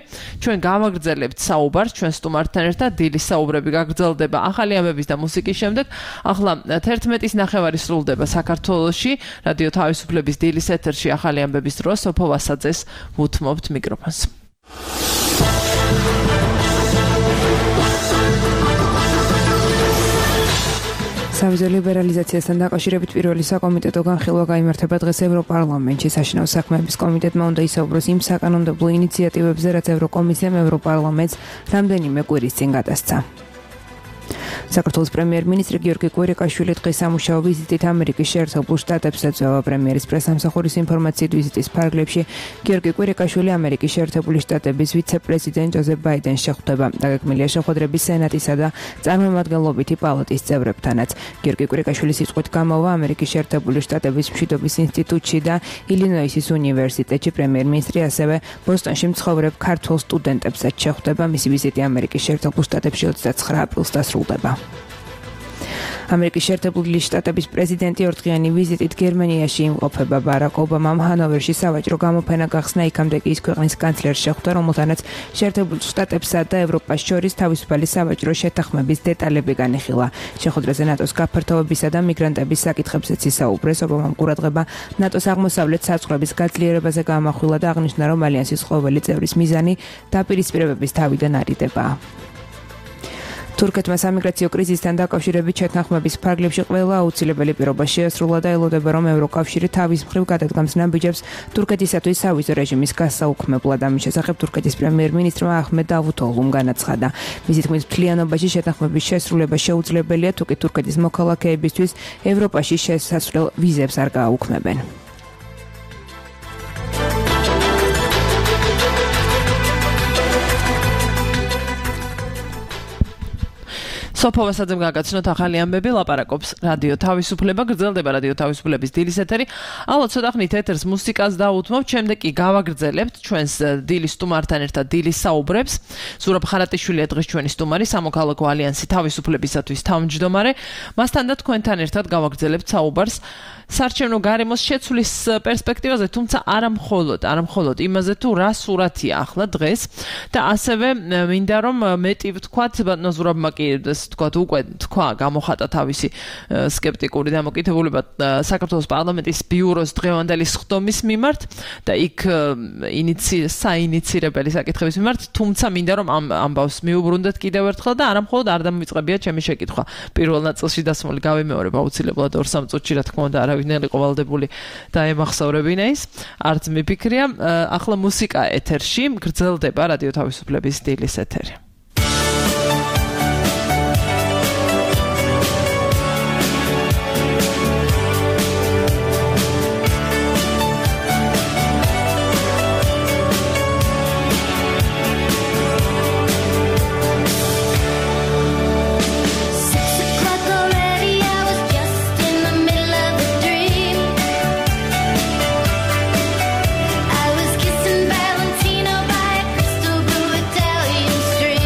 C: ჩვენ გავაგრძელებთ საუბარს ჩვენ სტუმართან ერთად, დილის საუბრები გაგრძელდება ახალი ამბების და მუსიკის შემდეგ. ახლა თერთმეტის ნახევარი სრულდება საქართველოში, რადიო თავისუფლების დილის ეთერში ახალი ამბების დროს სოფო ვასაძეს ვუთმობთ მიკროფონს.
B: სავიზო ლიბერალიზაციასთან დაკავშირებით პირველი საკომიტეტო განხილვა გაიმართება დღეს ევროპარლამენტში. საშინაო საქმეების კომიტეტმა უნდა ისაუბროს იმ საკანონმდებლო ინიციატივებზე, რაც ევროკომისიამ ევროპარლამენტს რამდენიმე კვირის წინ გადასცა. საქართველოს პრემიერ-მინისტრი გიორგი კვირიკაშვილი დღეს სამუშაო ვიზიტით ამერიკის შეერთებულ შტატებს ეწევა. პრემიერის პრესამსახურის ინფორმაციით ვიზიტის ფარგლებში გიორგი კვირიკაშვილი ამერიკის შეერთებული შტატების ვიცე-პრეზიდენტ ჯოზეფ ბაიდენს შეხვდება. დაგეგმილია შეხვედრები სენატისა და წარმომადგენლობითი პალატის წევრებთანაც. გიორგი კვირიკაშვილის სიტყვით გამოვა ამერიკის შეერთებული შტატების მშვიდობის ინსტიტუტში და ილინოისის უნივერსიტეტში. პრემიერ-მინისტრი ასევე ბოსტონში მცხოვრებ ქართველ სტუდენტებსაც შეხვდება. მისი ვიზიტი ამერიკის შეერთებულ შტატებში ოცდაცხრა აპრილს დასრულდება. ამერიკის შეერთებული შტატების პრეზიდენტი ორდღიანი ვიზიტით გერმანიაში იმყოფება. ბარაკ ობამამ ჰანოვერში სავაჭრო გამოფენა გახსნა, იქამდე კი ის ქვეყნის კანცლერს შეხვდა, რომელთანაც შეერთებულ შტატებსა და ევროპას შორის თავისუფალი სავაჭრო შეთანხმების დეტალები განიხილა. შეხვედრაზე ნატოს გაფართოებისა და მიგრანტების საკითხებზეც ისაუბრეს. ობამამ ყურადღება ნატოს აღმოსავლეთ საზღვრების გაძლიერებაზე გაამახვილა და აღნიშნა, რომ ალიანსის ყოველი წევრის მიზანი დაპირისპირებების თავიდან არიდებაა. თურქეთმა სამიგრაციო კრიზისთან დაკავშირებით შეთანხმების ფარგლებში ყველა აუცილებელი პირობა შეასრულა და ელოდება, რომ ევროკავშირი თავის მხრივ გადადგამს ნაბიჯებს თურქეთისათვის სავიზო რეჟიმის გასაუქმებლად. ამის შესახებ თურქეთის პრემიერ-მინისტრმა აჰმედ დავუთოღლუმ განაცხადა. მისი თქმით, მთლიანობაში შეთანხმების შესრულება შეუძლებელია, თუ კი თურქეთის მოქალაქეებისთვის ევროპაში შესასვლელ ვიზებს არ გააუქმებენ.
C: სოფო ვასაძემ გაგაცნოთ ახალი ამბები, ლაპარაკობს რადიო თავისუფლება, გრძელდება რადიო თავისუფლების დილის ეთერი. ალბათ ცოტა ხნით ეთერს მუსიკას დავუთმობთ, შემდეგ კი გავაგრძელებთ ჩვენს დილის სტუმართან ერთად დილის საუბრებს. ზურაბ ხარატიშვილია დღეს ჩვენი სტუმარი, სამოქალაქო ალიანსი თავისუფლებისათვის თავმჯდომარე. მასთან და თქვენთან ერთად გავაგრძელებთ საუბარს საარჩევნო გარემოს შეცვლის პერსპექტივაზე, თუმცა არა მხოლოდ, არა მხოლოდ იმაზე, თუ რა სურათია ახლა დღეს და ასევე მინდა რომ მეტი ვთქვათ, ბატონო ზურაბმა კი თქვათ უკვე თქვა გამოხატა თავისი სკეპტიკური დამოკიდებულება საქართველოს პარლამენტის ბიუროს დღევანდელი სხდომის მიმართ და იქ საინიცირებელი საკითხების მიმართ, თუმცა მინდა რომ ამ ამბავს მიუბრუნდეთ კიდევ ერთხელ და არა მხოლოდ არ დამოიწებია ჩემი შეკითხვა. პირველ ნაწილში დასმული გავიმეორებ აუცილებლად ორ სამ წუთში, რა თქმა უნდა, არავინ არ იყო ვალდებული დაემახსოვრებინა ის, არც მიფიქრია. ახლა მუსიკა ეთერში, გრძელდება რადიო თავისუფლების დილის ეთერი.
H: Valentino by a crystal blue Italian street.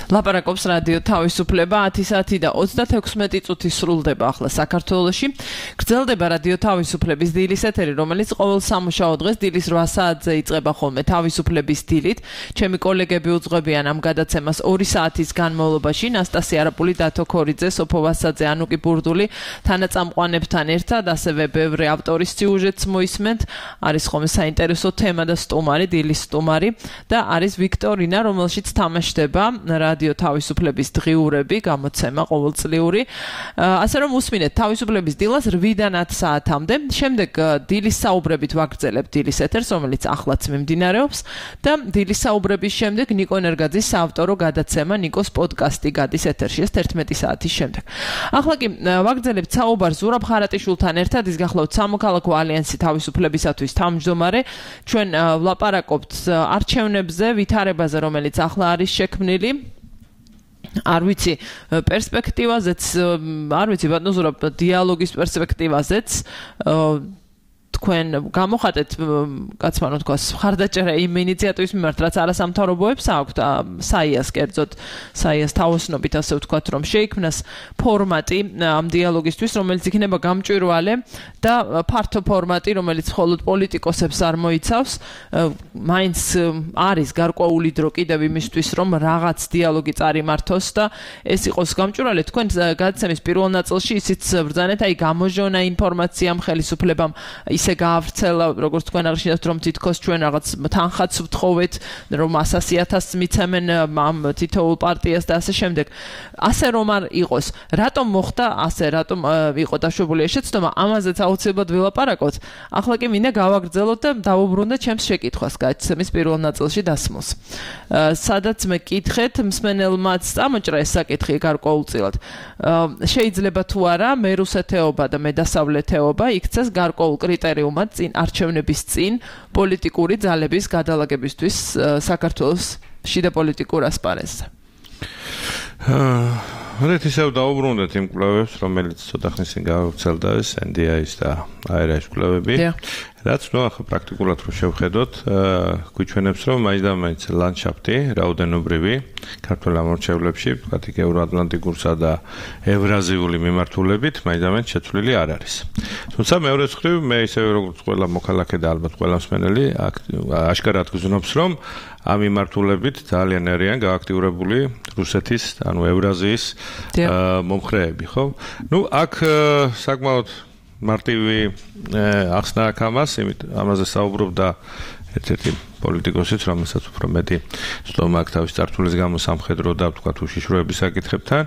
C: ლაპარაკობს რადიო თავისუფლება ათი საათი და ოცდათექვსმეტი წუთი სრულდება ახლა საქართველოში. გრძელდება რადიო თავისუფლების დილის ეთერი, რომელიც ყოველ სამუშაო დღეს დილის რვა საათზე იწყება ხოლმე თავისუფლების დილით. ჩემი კოლეგები უძღვებიან ამ გადაცემას ორი საათის განმავლობაში. ნასტასია არაპული, დათო ქორიძე, სოფო ვასაძე, ანუკი ბურდული თანაწამყვანებთან ერთად, ასევე ბევრი ავტორის სიუჟეტს მოისმენთ. არის ხოლმე საინტერესო თემა და სტუმარი, დილის სტუმარი და არის ვიქტორინა, რომელშიც თამაშდება რადიო თავისუფლების დღიურები, გამოცემა ყოველწლიური. ასე რომ უსმინეთ თავისუფლების დილას რვიდან ათ საათამდე. შემდეგ დილის საუბრებით ვაგრძელებთ დილის ეთერს, რომელიც ახლაც მიმდინარეობს და დილის საუბრების შემდეგ ნიკო ენერგაძის საავტორო გადაცემა ნიკოს პოდკასტი გადის ეთერში ეს თერთმეტი საათის შემდეგ. ახლა კი ვაგრძელებთ საუბარს ზურაბ ხარატიშვილთან ერთად, ის გახლავთ სამოქალაქო ალიანსი თავისუფლებისათვის თავმჯდომარე. ჩვენ ვლაპარაკობთ არჩევნებზე, ვითარებაზე, რომელიც ახლა არის შექმნილი. არ ვიცი პერსპექტივაზეც, არ ვიცი ბატონო ზურაბ დიალოგის პერსპექტივაზეც თქვენ გამოხატეთ კაცმანო თქვას ხარდაჭერა იმ ინიციატივის მიმართ, რაც არასამთავრობოებს აქვთ, საიას კერძოდ, საიას თავოსნობით ასე ვთქვათ, რომ შეიქმნას ფორმატი ამ დიალოგისთვის, რომელიც იქნება გამჭვირვალე და ფართო ფორმატი, რომელიც მხოლოდ პოლიტიკოსებს არ მოიცავს. მაინც არის გარკვეული დრო კიდევ იმისთვის, რომ რაღაც დიალოგი წარიმართოს და ეს იყოს გამჭვირვალე. თქვენ გადაცემის პირველ ნაწილში ისიც ბრძანეთ, აი გამოჟონა ინფორმაციამ, ხელისუფლებამ ისე გაავრცელა, როგორც თქვენ აღნიშნეთ, რომ თითქოს ჩვენ რაღაც თანხაც ვთხოვეთ, რომ ასასი ათასს მიცემენ ამ თითოეულ პარტიას და ასე შემდეგ. ასე რომ არ იყოს, რატომ მოხდა ასე, რატომ იყო დაშვებული ეს შეცდომა, ამაზეც აუცილებლად ვილაპარაკოთ. ახლა კი მინდა გავაგრძელოთ და დავუბრუნდეთ ჩემს შეკითხვას გადაცემის პირველ ნაწილში დასმულს. სადაც მე კითხეთ, მსმენელმაც წამოჭრა ეს საკითხი გარკვეულწილად. შეიძლება თუ არა მერუსეთეობა და მედასავლეთეობა იქცეს გარკვეულ კრიტერიუმად წინ არჩევნების წინ პოლიტიკური ძალების გადალაგებისთვის საქართველოს შიდა პოლიტიკურ ასპარეზზე.
E: რეთ ისევ დაუბრუნდეთ იმ კვლევებს, რომელიც ცოტა ხნის წინ გავრცელდა ეს ენ დი აის და აი რა ეს კვლევები. რაც ნუ ახლა პრაქტიკულად რო შევხედოთ, გვიჩვენებს, რომ მაინც და მაინც ლანდშაფტი რაოდენობრივი ქართულ ამორჩევლებში, ვთქვათ, იქ ევროატლანტიკურსა და ევრაზიული მიმართულებით მაინც და მაინც შეცვლილი არ არის. თუმცა მეორე მხრივ, მე ისევე როგორც ყველა მოქალაქე და ალბათ ყველა მსმენელი აშკარად გზნობს, რომ ამ მიმართულებით ძალიან არიან გააქტიურებული რუსეთის, ანუ ევრაზიის მომხრეები, ხო? ნუ აქ საკმაოდ მარტივი ახსნა აქვს ამას, იმით ამაზე საუბრობდა ერთ-ერთი პოლიტიკოსიც, რომელსაც უფრო მეტი ცდომა აქვს თავის წარსულის გამო სამხედრო და ვთქვათ უშიშროების საკითხებთან,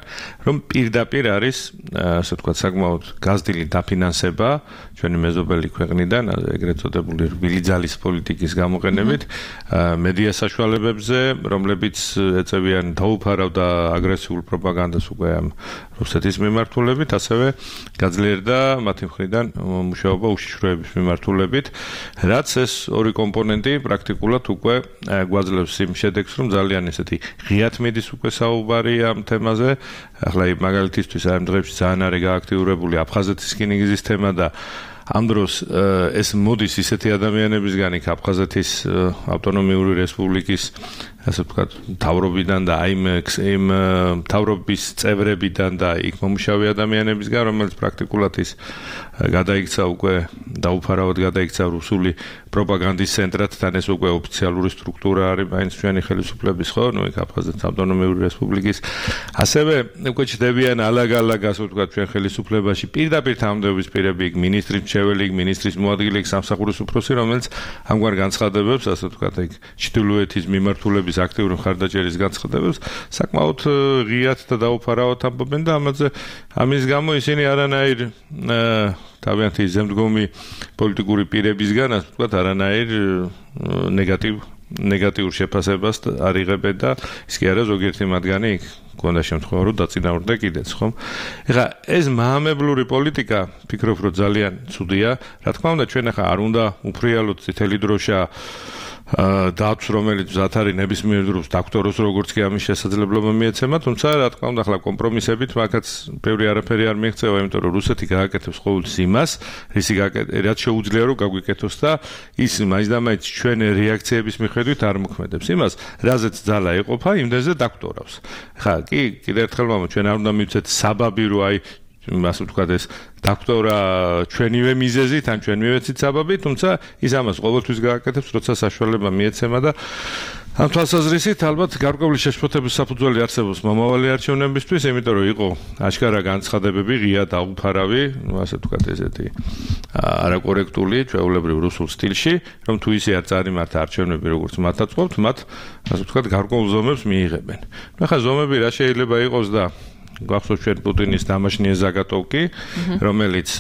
E: რომ პირდაპირ არის, ასე ვთქვათ, საკმაოდ გაზრდილი დაფინანსება ჩვენი მეზობელი ქვეყნიდან, ეგრეთ წოდებული რბილი ძალის პოლიტიკის გამოყენებით, მედია საშუალებებზე, რომლებიც ეწევიან დაუფარავ და აგრესიულ პროპაგანდას უკვე ამ რუსეთის მიმართულებით, ასევე გაძლიერდა მათი მხრიდან მუშაობა უშიშროების მიმართულებით, რაც ეს ორი კომპონენტი პრაქტიკულად უკვე გვაძლევს იმ შედეგს, რომ ძალიან ესეთი ღიად მიდის უკვე საუბარი ამ თემაზე. ახლა მაგალითისთვის ამ დღეებში ძალიან არის გააქტიურებული აფხაზეთის რკინიგზის თემა და ამ დროს ეს მოდის ისეთი ადამიანებისგან, იქ აფხაზეთის ავტონომიური რესპუბლიკის ასე ვთქვათ, მთავრობიდან და აი იმ მთავრობის წევრებიდან და იქ მომუშავე ადამიანებისგან, რომელიც პრაქტიკულად ის გადაიქცა უკვე დაუფარავად გადაიქცა რუსული პროპაგანდის ცენტრად, თან ეს უკვე ოფიციალური სტრუქტურა არის მაინც ჩვენი ხელისუფლების, ხო, ნუ იქ აფხაზეთის ავტონომიური რესპუბლიკის. ასევე უკვე ჩდებიან ალაგ-ალაგ, ასე ვთქვათ, ჩვენ ხელისუფლებაში პირდაპირ თანამდებობის პირები, იქ მინისტრის მრჩეველი, იქ მინისტრის მოადგილე, იქ სამსახურის უფროსი, რომელიც ამგვარ განცხადებებს, ასე ვთქვათ, იქ ჩრდილოეთის მიმართულების აქტიური მხარდაჭერის განცხადებებს საკმაოდ ღიად და დაუფარავად ამბობენ და ამაზე ამის გამო ისინი არანაირ თავიანთი ზემდგომი პოლიტიკური პირებისგან, ასე ვთქვათ, არანაირ ნეგატივ ნეგატიურ შეფასებას არ იღებენ და ის კი არა ზოგიერთი მათგანი იქ გქონდა შემთხვევა, რომ დაწინაურდა კიდეც, ხო? ეხლა ეს მაამებლური პოლიტიკა, ფიქრობ, რომ ძალიან ცუდია. რა თქმა უნდა, ჩვენ ახლა არ უნდა უფრიალოთ წითელი დროშა დათვს, რომელიც მზად არის ნებისმიერ დროს დაქტოროს როგორც კი ამის შესაძლებლობა მიეცემა, თუმცა რა თქმა უნდა, ახლა კომპრომისებით მაგაც ბევრი არაფერი არ მიიღწევა, იმიტომ რომ რუსეთი გააკეთებს ყოველთვის იმას, რისი რაც შეუძლია რომ გაგვიკეთოს და ის მაინც და მაინც ჩვენ რეაქციების მიხედვით არ მოქმედებს. იმას, რაზეც ძალა ეყოფა, იმდენზე დაქტორავს. ხა, კი, კიდევ ერთხელ მამა, ჩვენ არ უნდა მივცეთ საბაბი, რომ აი ასე ვთქვათ ეს დაქტორა ჩვენივე მიზეზით, ან ჩვენივე ციცაბები, თუმცა ის ამას ყოველთვის გააკეთებს, როცა საშუალება მიეცემა და ამ თვალსაზრისით ალბათ გარკვეული შეშფოთების საფუძველი არსებობს მომავალი არჩევნებისთვის, იმიტომ რომ იყო აშკარა განცხადებები, ღია დაუფარავი, ну ასე ვთქვათ ესეთი არაკორექტული, ჩვეულებრივ რუსულ სტილში, რომ თუ ისე არ წარიმართა არჩევნები, როგორც მათ აწყობთ, მათ ასე ვთქვათ გარკვეულ ზომებს მიიღებენ. ну ხა ზომები რა შეიძლება იყოს და გვახსოვს ჩვენ პუტინის დამაშნიე ზაგატოვკი, რომელიც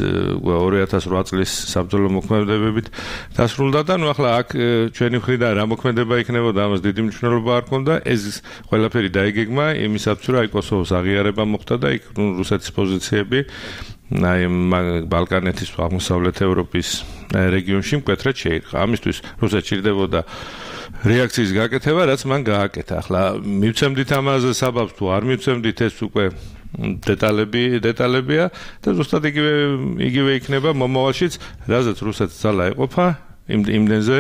E: ორი ათას ოთხ წლის საბრძოლო მოქმედებებით დასრულდა და ნუ ახლა აქ ჩვენი მხრიდან რა მოქმედება იქნებოდა, ამას დიდი მნიშვნელობა არ ჰქონდა. ეს ყველაფერი დაიგეგმა იმისათვის, რომ აი კოსოვოს აღიარება მოხდა და იქ რუსეთის პოზიციები აი ბალკანეთის აღმოსავლეთ ევროპის რეგიონში მკვეთრად შეირყა. ამისთვის რუსეთს ჭირდებოდა რეაქციის გაკეთება, რაც მან გააკეთა. ახლა მივცემდით ამაზე საბაბს თუ არ მივცემდით, ეს უკვე დეტალები დეტალებია და ზუსტად იგივე იგივე იქნება მომავალშიც, რაზეც რუსეთს ძალა ეყოფა, იმდენზე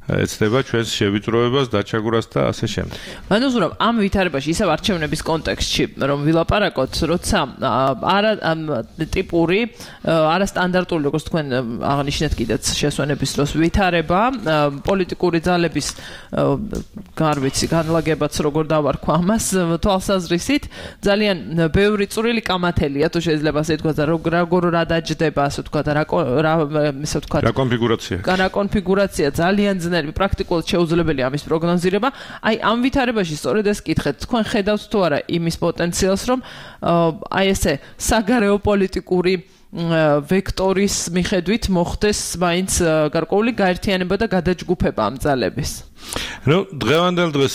E: ეცდება ჩვენს შევიწროებას, დაჩაგვრას და ასე შემდეგ.
C: ანუ ზურაბ, ამ ვითარებაში ისევ არჩევნების კონტექსტში, რომ ვილაპარაკოთ, როცა არა ტიპური, არასტანდარტული, როგორც თქვენ აღნიშნეთ კიდეც შესვენების დროს ვითარება, პოლიტიკური ძალების გარვიცი, განლაგებაც როგორ დავარქვა ამას, თვალსაზრისით, ძალიან ბევრი წვრილი კამათელია, თუ შეიძლება ასე ვთქვათ, როგორ რა დაჯდება, ასე ვთქვათ, რა ისე ვთქვათ,
E: რა კონფიგურაცია.
C: რა კონფიგურაცია ძალიან პრაქტიკულად შეუძლებელია ამის პროგნოზირება. აი ამ ვითარებაში სწორედ ეს კითხეთ, თქვენ ხედავთ თუ არა იმის პოტენციალს, რომ აი ესე საგარეო პოლიტიკური ვექტორის მიხედვით მოხდეს მაინც გარკვეული გაერთიანება და გადაჯგუფება ამ ძალების.
E: ну დღევანდელ დღეს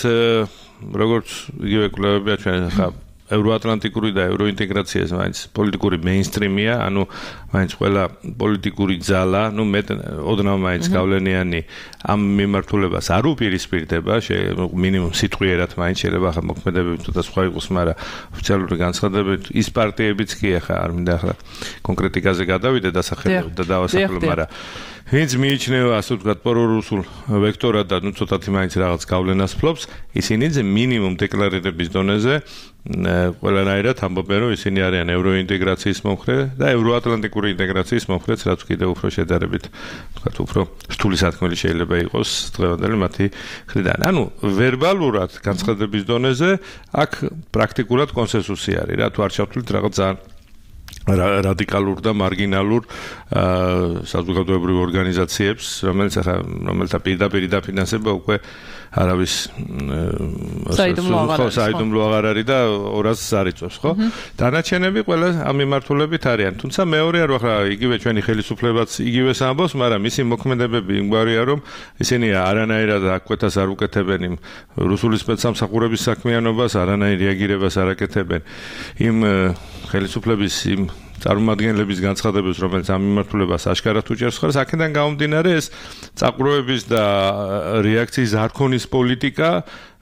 E: როგორც იგივე კვლევებია ჩვენ ხა ევროატლანტიკური და ევროინტეგრაციას მაინც პოლიტიკური მეინსტრიმია, ანუ მაინც ყველა პოლიტიკური ძალა, ну მე ოდნავ მაინც გავლენიანი ამ მიმართულებას არ უპირისპირდება, მინიმუმ სიტყვიერად მაინც შეიძლება ახლა მოქმედებები თუ და სხვა იყოს, მაგრამ ოფიციალური განცხადებებით ის პარტიებიც კი ახლა არ მინდა ახლა კონკრეტიკაზე გადავიდე დასახელებით და დავასახელო, მაგრამ ვინც მიიჩნევა ასე ვთქვათ პრორუსულ ვექტორად და ну ცოტათი მაინც რაღაც გავლენას ფლობს, ისინი მინიმუმ დეკლარირების დონეზე ყველანაირად ამბობენ, რომ ისინი არიან ევროინტეგრაციის მომხრე და ევროატლანტიკური ინტეგრაციის მომხრეც, რაც კიდევ უფრო შედარებით ვთქვათ უფრო რთული სათქმელი შეიძლება იყოს დღევანდელი მათი მხრიდან. ანუ ვერბალურად განცხადების დონეზე აქ პრაქტიკულად კონსენსუსი არის, რა თუ არ ჩავთვლით რაღაც ძალიან რადიკალურ და მარგინალურ საზოგადოებრივ ორგანიზაციებს, რომელიც ახლა რომელთა პირდაპირ დაფინანსება უკვე არავის საიდუმლო აღარ არის და ორასს არ იწევს, ხო? დანარჩენები ყველა ამ მიმართულებით არიან. თუმცა მეორეა, რომ ახლა იგივე ჩვენი ხელისუფლებაც იგივეს ამბობს, მაგრამ ისი მოქმედებები იმგვარია, რომ ისინი არანაირად აკვეთას არ უკეთებენ იმ რუსული სპეცსამსახურების საქმიანობას, არანაირ რეაგირებას არ აკეთებენ იმ ხელისუფლების იმ წარმომადგენლების განცხადებებს, რომელიც ამ მიმართულებას აშკარად უჭერს ხარს, აქედან გამომდინარე ეს წაყროების და რეაქციის არ ქონის პოლიტიკა,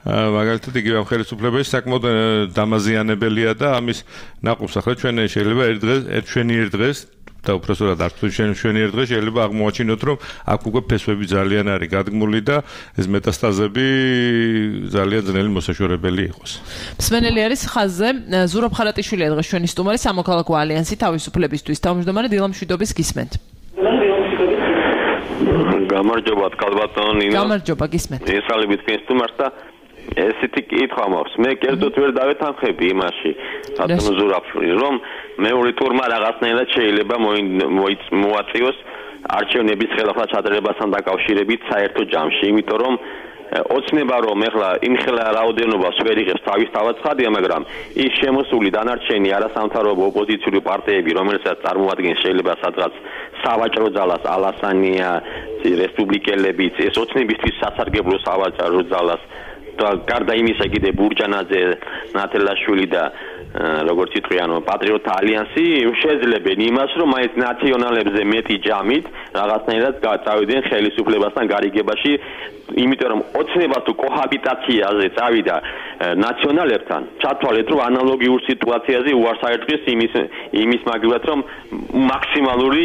E: მაგალითად იგივე ამ ხელისუფლების საკმაოდ დამაზიანებელია და ამის ნაყოფს ახლა ჩვენ შეიძლება ერთ დღეს, ერთ ჩვენი ერთ დღეს და უბრალოდ არ თქვი ჩვენ ჩვენი ერთ დღეს შეიძლება აღმოაჩინოთ, რომ აქ უკვე ფესვები ძალიან არის გადგმული და ეს მეტასტაზები ძალიან ძნელი მოსაშორებელი იყოს.
C: მსმენელი არის ხაზზე ზურაბ ხარატიშვილია დღეს ჩვენი სტუმარი სამოქალაქო ალიანსი თავისუფლებისთვის თავმჯდომარე დილამ შვიდობის გისმენთ.
H: გამარჯობა კალბატონ ნინო.
C: გამარჯობა გისმენთ.
H: ესალებით თქვენ სტუმარს და ესეთი კითხვა მაქვს. მე კერძოდ ვერ დავეთანხმები იმაში, ბატონო ზურაბშვილი, რომ მეორე ტურმა რაღაცნაირად შეიძლება მოაწიოს არჩევნების ხელახლა ჩატარებასთან დაკავშირებით საერთო ჯამში, იმიტომ რომ ოცნება რომ ეხლა იმხელა რაოდენობას ვერ იღებს თავისთავად ცხადია, მაგრამ ის შემოსული დანარჩენი არასამთავრობო ოპოზიციური პარტიები, რომელსაც წარმოადგენს შეიძლება სადღაც სავაჭრო ძალას ალასანია, რესპუბლიკელებიც, ეს ოცნებისთვის სასარგებლო სავაჭრო ძალას გარდა იმისა კიდე ბურჯანაძე, ნათელაშვილი და როგორც იტყვიან პატრიოტთა ალიანსი შეძლებენ იმას, რომ მაინც ნაციონალებზე მეტი ჯამით რაღაცნაირად წავიდნენ ხელისუფლებასთან გარიგებაში, იმიტომ რომ ოცნება თუ კოჰაბიტაციაზე წავიდა ნაციონალებთან, ჩათვალეთ, რომ ანალოგიურ სიტუაციაზე უარს აერტყის იმის იმის მაგალითად, რომ მაქსიმალური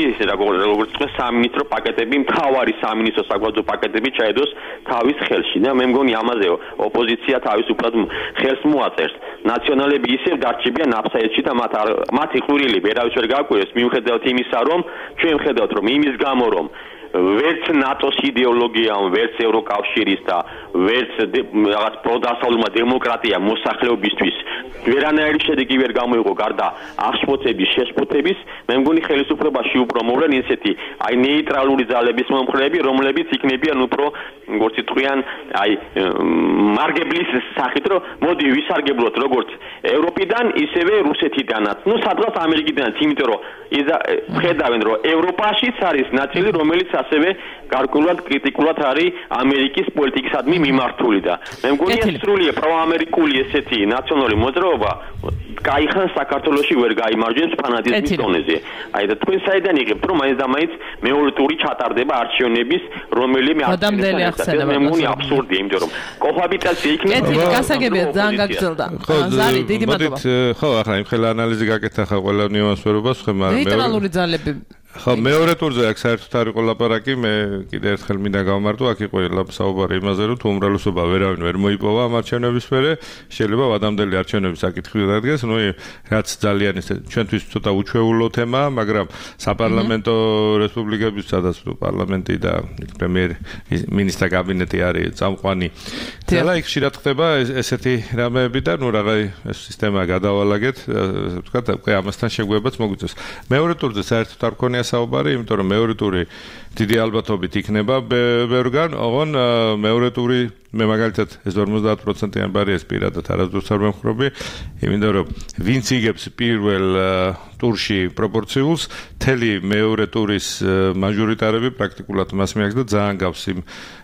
H: როგორც თქვა სამინისტრო პაკეტები, მთავარი სამინისტრო საგვარეულო პაკეტები ჩაედოს თავის ხელში და მე მგონი ამაზე ოპოზიცია თავისუფლად ხელს მოაწერს. ნაციონალები ისევ დარჩებიან აფსაიდში და მათ მათი ყვირილი ვერავის ვერ გააკვირეს მიუხედავად იმისა, რომ ჩვენ ვხედავთ, რომ იმის გამო, რომ ვერც ნატოს იდეოლოგია, ვერც ევროკავშირის და ვერც რაღაც პროდასავლურმა დემოკრატია მოსახლეობისთვის ვერანაირი შედეგი ვერ გამოიღო გარდა აღშფოთების, შეშფოთების, მე მგონი ხელისუფლებაში უფრო მოვლენ ისეთი აი ნეიტრალური ძალების მომხრეები, რომლებიც იქნებიან უფრო როგორც იტყვიან, აი მარგებლის სახით, რომ მოდი ვისარგებლოთ როგორც ევროპიდან, ისევე რუსეთიდანაც, ну სადღაც ამერიკიდანაც, იმიტომ რომ ხედავენ, რომ ევროპაშიც არის ნაწილი, რომელიც ასევე გარკვეულად კრიტიკულად არის ამერიკის პოლიტიკისადმი მიმართული და მე მგონი ეს სრულიად პროამერიკული ესეთი ნაციონალური მოძრაობა კაიხან საქართველოში ვერ გაიმარჯვებს ფანატიზმის დონეზე. აი და თქვენ საიდან იღებთ, რომ მაინც და მაინც მეორე ტური ჩატარდება არჩევნების, რომელიმე არჩევნები მე მგონი აბსურდია, იმიტომ რომ კოჰაბიტაცია იქნება.
C: კეთილი, გასაგებია, ძალიან გაგრძელდა. ზარი, დიდი მადლობა.
E: ხო, ახლა იმ ხელა ანალიზი გაკეთა ხა ყველა ნიუანსვერობას, ხო, მაგრამ
C: ნეიტრალური ძალები
E: ხო, მეორე ტურზე აქ საერთოდ არ იყო ლაპარაკი, მე კიდე ერთხელ მინდა გავმარტო, აქ იყო საუბარი იმაზე, რომ თუ უმრავლესობა ვერავინ ვერ მოიპოვა ამ არჩევნების მერე, შეიძლება ვადამდელი არჩევნების საკითხი დადგეს, ნუ რაც ძალიან ისე ჩვენთვის ცოტა უჩვეულო თემაა, მაგრამ საპარლამენტო რესპუბლიკების, სადაც პარლამენტი და პრემიერ მინისტრთა კაბინეტი არის წამყვანი. და იქ ხშირად ხდება ესეთი რამეები და ნუ რაღა ეს სისტემა გადავალაგეთ, ვთქვათ, უკვე ამასთან შეგვებაც მოგვიწევს. მეორე ტურზე საერთოდ არ გქონია საუბარი, იმიტომ რომ მეორე ტური დიდი ალბათობით იქნება ბევრგან, ოღონ მეორე ტური მე მაგალითად ეს ორმოცდაათ პროცენტიანი ბარიერს პირადად არასდროს არ ვემხრობი, იმიტომ რომ ვინც იგებს პირველ ტურში პროპორციულს, მთელი მეორე ტურის მაჟორიტარები პრაქტიკულად მას მიაქვს და ძალიან გავს იმ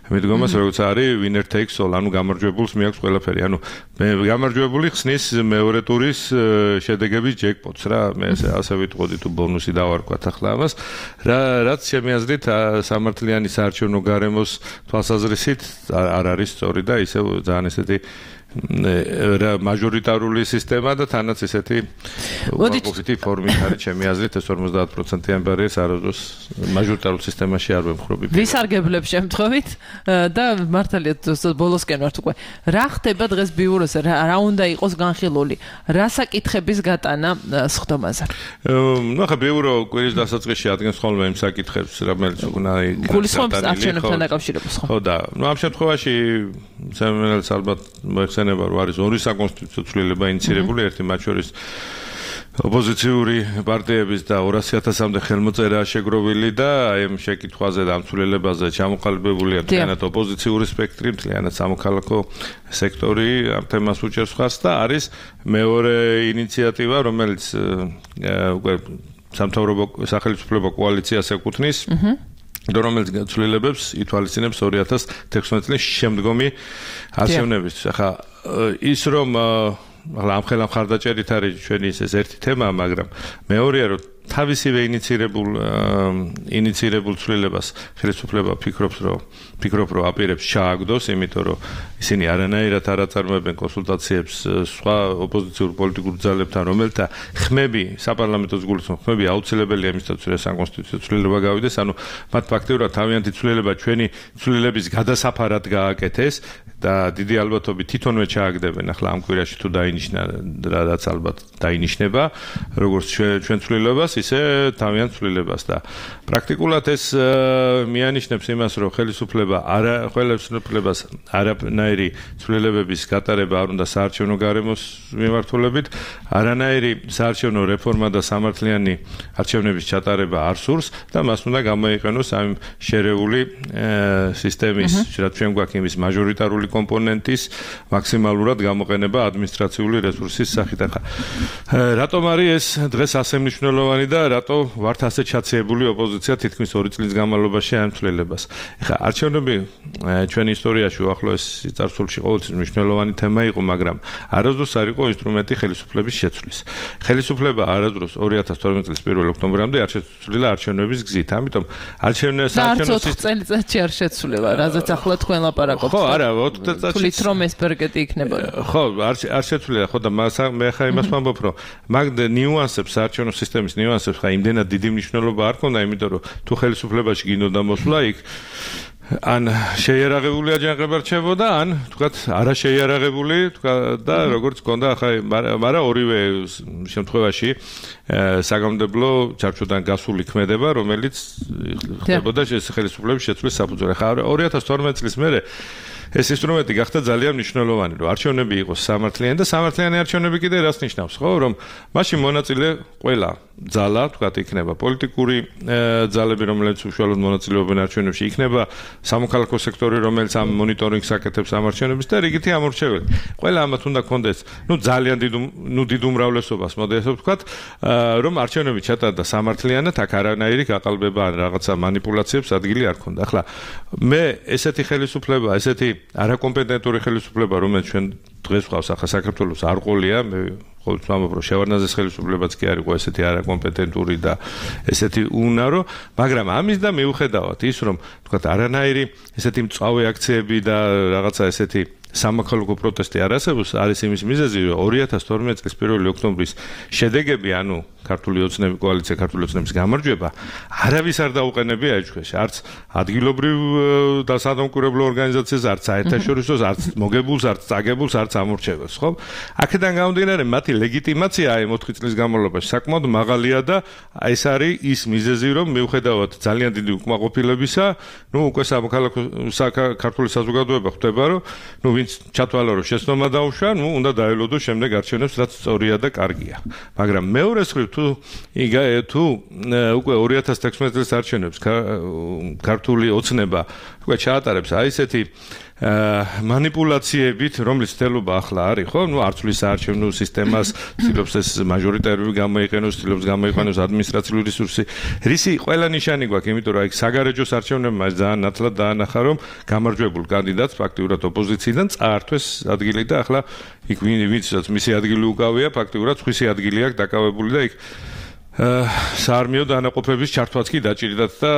E: მიდგომას, როგორც არის winner takes all, ანუ გამარჯვებულს მიაქვს ყველაფერი. ანუ მე გამარჯვებული ხსნის მეორე ტურის შედეგების ჯეკპოტს რა, მე ასე ვიტყოდი თუ ბონუსი დავარქვათ ახლა ამას, რა რაც ჩემი აზრით სამართლიანი საარჩევნო გარემოს თვალსაზრისით არ არის სწორი და ისევ ძალიან ესეთი მაჟორიტარული სისტემა და თანაც ესეთი უპოზიტივი ფორმით არის ჩემი აზრით ეს ორმოცდაათ პროცენტიანი ბარიერს არასდროს მაჟორიტარულ სისტემაში არ ვემხრობი.
C: ვისარგებლებ შემთხვევით და მართალია ბოლოსკენ ვართ უკვე. რა ხდება დღეს ბიუროზე? რა უნდა იყოს განხილული? რა საკითხების გატანა სხდომაზე?
E: ნუ ახლა ბიურო კვირის დასაწყისში ადგენს ხოლმე იმ საკითხებს, რომელიც უნდა იყოს.
C: გულისხმობს არჩევნებთან დაკავშირებას ხო?
E: ხო და ნუ ამ შემთხვევაში სამენელს ალბათ მოიხსენება, რომ არის ორი საკონსტიტუციო ცვლილება ინიცირებული, ერთი მათ შორის ოპოზიციური პარტიების და ორასი ათასამდე ხელმოწერაა შეგროვილი და აი ამ შეკითხვაზე და ამ ცვლილებაზე ჩამოყალიბებულია მთლიანად ოპოზიციური სპექტრი, მთლიანად სამოქალაქო სექტორი ამ თემას უჭერს ხარს და არის მეორე ინიციატივა, რომელიც უკვე სამთავრობო სახელმწიფო კოალიციას ეკუთვნის. რომელიც ცვლილებებს ითვალისწინებს ორი ათას თექვსმეტი წლის შემდგომი არჩევნებისთვის. ახლა ის რომ ახლა ამ ხელა მხარდაჭერით არის ჩვენი ეს ერთი თემა, მაგრამ მეორეა რომ თავისივე ინიცირებულ ინიცირებულ ცვლილებას ხელისუფლება ფიქრობს რომ ფიქრობ რომ აპირებს ჩააგდოს, იმიტომ რომ ისინი არანაირად არ აწარმოებენ კონსულტაციებს სხვა ოპოზიციურ პოლიტიკურ ძალებთან, რომელთა ხმები საპარლამენტო გულისხმობს, ხმები აუცილებელია იმისათვის, რომ საკონსტიტუციო ცვლილება გავიდეს, ანუ მათ ფაქტიურად თავიანთი ცვლილება ჩვენი ცვლილების გადასაფარად გააკეთეს და დიდი ალბათობით თვითონვე ჩააგდებენ ახლა ამ კვირაში თუ დაინიშნა რაც ალბათ დაინიშნება, როგორც ჩვენ ცვლილებას ისე თავიანთ ცვლილებას და პრაქტიკულად ეს მიანიშნებს იმას, რომ ხელისუფლება არა ხელისუფლებას არანაირი ცვლილებების გატარება არ უნდა საარჩევნო გარემოს მიმართულებით, არანაირი საარჩევნო რეფორმა და სამართლიანი არჩევნების ჩატარება არ სურს და მას უნდა გამოიყენოს ამ შერეული სისტემის, რაც ჩვენ გვაქვს იმის მაჟორიტარული კომპონენტის მაქსიმალურად გამოყენება ადმინისტრაციული რესურსის სახით. ახლა რატომ არის ეს დღეს ასე მნიშვნელოვანი და რატო ვართ ასე ჩაცეებული ოპოზიცია თითქმის ორი წლის განმავლობაში ამ ცვლილებას. ეხლა არჩევნები ჩვენ ისტორიაში უახლოეს წარსულში ყოველთვის მნიშვნელოვანი თემა იყო, მაგრამ არასდროს არ იყო ინსტრუმენტი ხელისუფლების შეცვლის. ხელისუფლება არასდროს ორი ათას თორმეტი წლის პირველ ოქტომბრამდე არ შეცვლილა არჩევნების გზით. ამიტომ არჩევნების
C: არჩევნების წელიწადში არ შეცვლილა, რაზეც ახლა თქვენ ლაპარაკობთ.
E: ხო, არა, ოთხ წელიწადში.
C: თulit რომ ეს ბერგეტი იქნება.
E: ხო, არ არ შეცვლილა, ხო და მე ახლა იმას ვამბობ, რომ მაგ ნიუანსებს, არჩევნო სისტემის ნიუანსებს ხა იმდენად დიდი მნიშვნელობა არ ქონდა, იმიტომ რომ თუ ხელისუფლებაში გინდოდა მოსვლა იქ ან შეიარაღებული აჯანყება რჩებოდა, ან თქვათ არა შეიარაღებული, თქვათ და როგორც ქონდა ახლა, მაგრამ ორივე შემთხვევაში საგამომდებლო ჩარჩოდან გასული ქმედება, რომელიც ხდებოდა ხელისუფლების შეცვლის საფუძველი. ხა ორი ათას თორმეტი წლის მერე ეს ინსტრუმენტი გახდა ძალიან მნიშვნელოვანი, რომ არჩევნები იყოს სამართლიანი და სამართლიანი არჩევნები კიდე რას ნიშნავს, ხო, რომ მაშინ მონაწილე ყველა ძალა, თქვათ, იქნება პოლიტიკური ძალები, რომლებიც უშუალოდ მონაწილეობენ არჩევნებში, იქნება სამოქალაქო სექტორი, რომელიც ამ მონიტორინგს აკეთებს ამ არჩევნების და რიგითი ამორჩეველი. ყველა ამათ უნდა კონდეს, ну, ძალიან დიდ, ну, დიდ უმრავლესობას, მოდი ასე ვთქვათ, რომ არჩევნები ჩატარდა სამართლიანად, აქ არანაირი გაყალბება ან რაღაცა манипуляციებს ადგილი არ ქონდა. ახლა მე ესეთი ხელისუფლება, ესეთი არაკომპეტენტური ხელისუფლება, რომელიც ჩვენ დღეს ვყავს ახლა საქართველოს არ ყოლია, მე ყოველთვის ვამბობ, რომ შევარდნაძის ხელისუფლებაც კი არ იყო ესეთი არაკომპეტენტური და ესეთი უნარო, მაგრამ ამის და მიუხედავად ის, რომ თქვათ არანაირი ესეთი მწვავე აქციები და რაღაცა ესეთი სამოქალაქო პროტესტი არ არსებობს, არის იმის მიზეზი, რომ ორი ათას თორმეტი წლის პირველი ოქტომბრის შედეგები, ანუ ქართული ოცნების კოალიცია, ქართული ოცნების გამარჯვება, არავის არ დაუყენებია ეჭქვეშ, არც ადგილობრივ და სადამკვირვებლო ორგანიზაციას, არც საერთაშორისოს, არც მოგებულს, არც წაგებულს, არც ამორჩეველს, ხო? აქედან გამომდინარე, მათი ლეგიტიმაცია აი ოთხი წლის განმავლობაში საკმაოდ მაღალია და ეს არის ის მიზეზი, რომ მიუხედავად ძალიან დიდი უკმაყოფილებისა, ნუ უკვე სამოქალაქო ქართული საზოგადოება ხვდება, რომ ნუ ვინც ჩათვალა რომ შეცდომა დაუშვა, ნუ უნდა დაელოდოს შემდეგ არჩევნებს, რაც სწორია და კარგია. მაგრამ მეორე მხრივ თუ თუ უკვე ორი ათას თექვსმეტი წლის არჩევნებს ქართული ოცნება უკვე ჩაატარებს აი ესეთი манипуляციებით, რომლის თელობა ახლა არის, ხო? ნუ არცვლის საარჩევნო სისტემას, ცდილობს ეს მაჟორიტარული გამოიყენოს, ცდილობს გამოიყენოს ადმინისტრაციული რესურსი. რისი ყველა ნიშანი გვაქვს, იმიტომ რომ აი საგარეჯოს არჩევნებმა ძალიან ნათლად დაანახა, რომ გამარჯვებულ კანდიდატს ფაქტიურად ოპოზიციიდან წაართვეს ადგილი და ახლა იქ ვინცაც მისი ადგილი უკავია, ფაქტიურად სხვისი ადგილი აქვს დაკავებული და იქ საარმიო დანაყოფების ჩართვაც კი დაჭირდათ და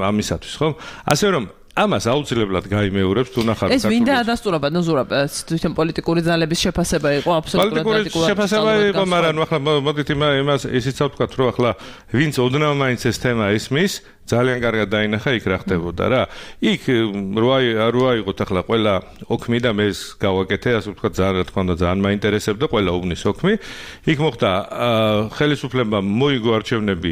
E: ამისათვის, ხო? ასე რომ ამას აუცილებლად გაიმეორებს თუ ნახავთ
C: ეს ვინ დაადასტურა ბატონ ზურაბ თვითონ პოლიტიკური ძალების შეფასება იყო აბსოლუტურად
E: პოლიტიკური შეფასება იყო მაგრამ ახლა მოდით იმას ისიც ვთქვათ რომ ახლა ვინც ოდნავ მაინც ეს თემა ისმის ძალიან კარგად დაინახა იქ რა ხდებოდა რა იქ როა იყოთ ახლა ყველა ოქმი და მე გავაკეთე ასე ვთქვათ ძალიან რა თქმა უნდა ძალიან მაინტერესებდა ყველა უბნის ოქმი იქ მოხდა ხელისუფლებამ მოიგო არჩევნები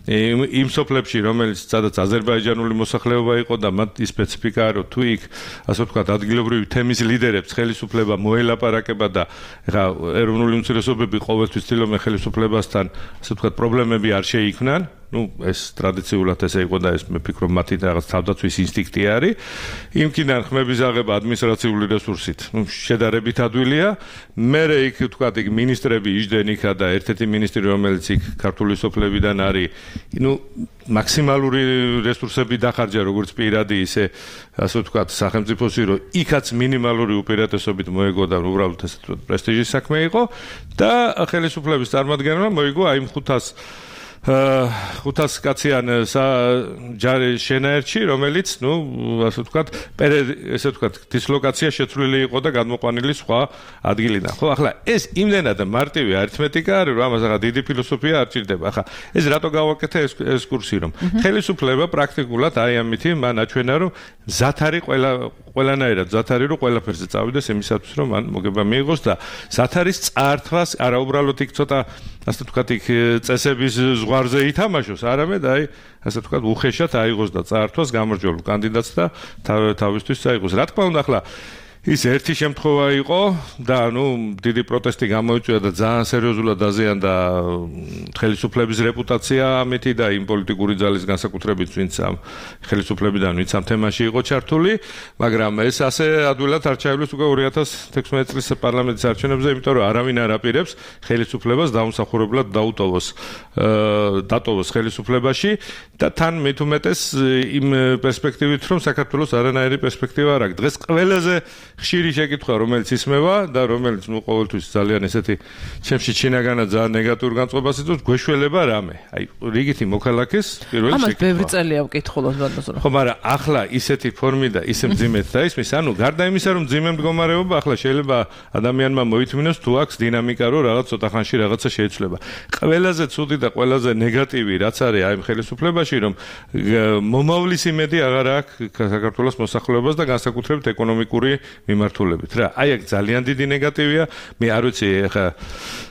E: იმ სოფლებში რომელიც სადაც აზერბაიჯანული მოსახლეობა იყო და მათ სპეციფიკა რომ თუ იქ ასე ვთქვათ ადგილობრივი თემის ლიდერებს ხელისუფლება მოელაპარაკება და ეხა ეროვნული უმცირესობები ყოველთვის ცდილობენ ხელისუფლებასთან ასე ვთქვათ პრობლემები არ შეიქმნან ну ეს ტრადიციულად ესე იყო და ეს მე ფიქრობ მათი რაღაც თავდაცვის ინსტინქტი არის იმკიდან ხმების აღება ადმინისტრაციული რესურსით ну შედარებით ადვილია მე იქ ვთქვათ იქ მინისტრები იჯდნენ იქა და ერთ-ერთი მინისტრი რომელიც იქ ქართული სოფლებიდან არის ну მაქსიმალური რესურსები დახარჯა როგორც პირადი ისე ასე ვთქვათ სახელმწიფოსი რომ იქაც მინიმალური უპირატესობით მოეგო და უბრალოდ ეს პრესტიჟის საქმე იყო და ხელისუფლების წარმომადგენელმა მოიგო აი ხუთას ხუთას კაციან ჯარი შენაერთში რომელიც ნუ ასე ვთქვათ ესე ვთქვათ დისლოკაცია შეცვლილი იყო და გადმოყვანილი სხვა ადგილიდან ხო ახლა ეს იმდენად მარტივი არითმეტიკა არის რომ ამას ახლა დიდი ფილოსოფია არ ჭირდება ახლა ეს რატო გავაკეთე ეს ეს კურსი რომ ხელისუფლება პრაქტიკულად აი ამითი მან აჩვენა რომ მზად არის ყველა ყველანაირად მზად არის რომ ყველაფერზე წავიდეს იმისათვის რომ მან მოგება მიიღოს და მზად არის წართვას არა უბრალოდ იქ ცოტა ასე ვთქვათ იქ წესების ზღვარზე ითამაშოს არამედ აი ასე ვთქვათ უხეშად აიღოს და წაართვას გამარჯვებულ კანდიდატს და თავისთვის წაიღოს რა თქმა უნდა ახლა ის ერთი შემთხვევა იყო და ნუ დიდი პროტესტი გამოიწვია და ძალიან სერიოზულად დაზიანდა ხელისუფლების რეპუტაცია ამეთი და იმ პოლიტიკური ძალის განსაკუთრებით ვინც ამ ხელისუფლებიდან ვინც ამ თემაში იყო ჩართული, მაგრამ ეს ასე ადვილად არ ჩაივლის უკვე ორი ათას თექვსმეტი წლის პარლამენტის არჩევნებზე, იმიტომ რომ არავინ არ აპირებს ხელისუფლებას დაუმსახურებლად დაუტოვოს დატოვოს ხელისუფლებაში და თან მით უმეტეს იმ პერსპექტივით რომ საქართველოს არანაირი პერსპექტივა არ აქვს. დღეს ყველაზე ხშირი შეკითხვა რომელიც ისმევა და რომელიც ნუ ყოველთვის ძალიან ესეთი ჩემში ჩინაგანა ძალიან ნეგატიურ განწყობას იწვევს, გვეშველება რამე. აი რიგითი მოქალაქეს პირველი შეკითხვა.
C: ამას ბევრი წელია ვკითხულობ ბატონო.
E: ხო, მაგრამ ახლა ისეთი ფორმი და ისე მძიმედ დაისმის, ანუ გარდა იმისა რომ მძიმე მდგომარეობა, ახლა შეიძლება ადამიანმა მოითმინოს თუ აქვს დინამიკა რომ რაღაც ცოტა ხანში რაღაცა შეიცვლება. ყველაზე ცუდი და ყველაზე ნეგატივი რაც არის აი ხელისუფლებაში რომ მომავლის იმედი აღარ აქვს საქართველოს მოსახლეობას და განსაკუთრებით ეკონომიკური მიმართულებით რა. აი აქ ძალიან დიდი ნეგატივია. მე არ ვიცი ეხა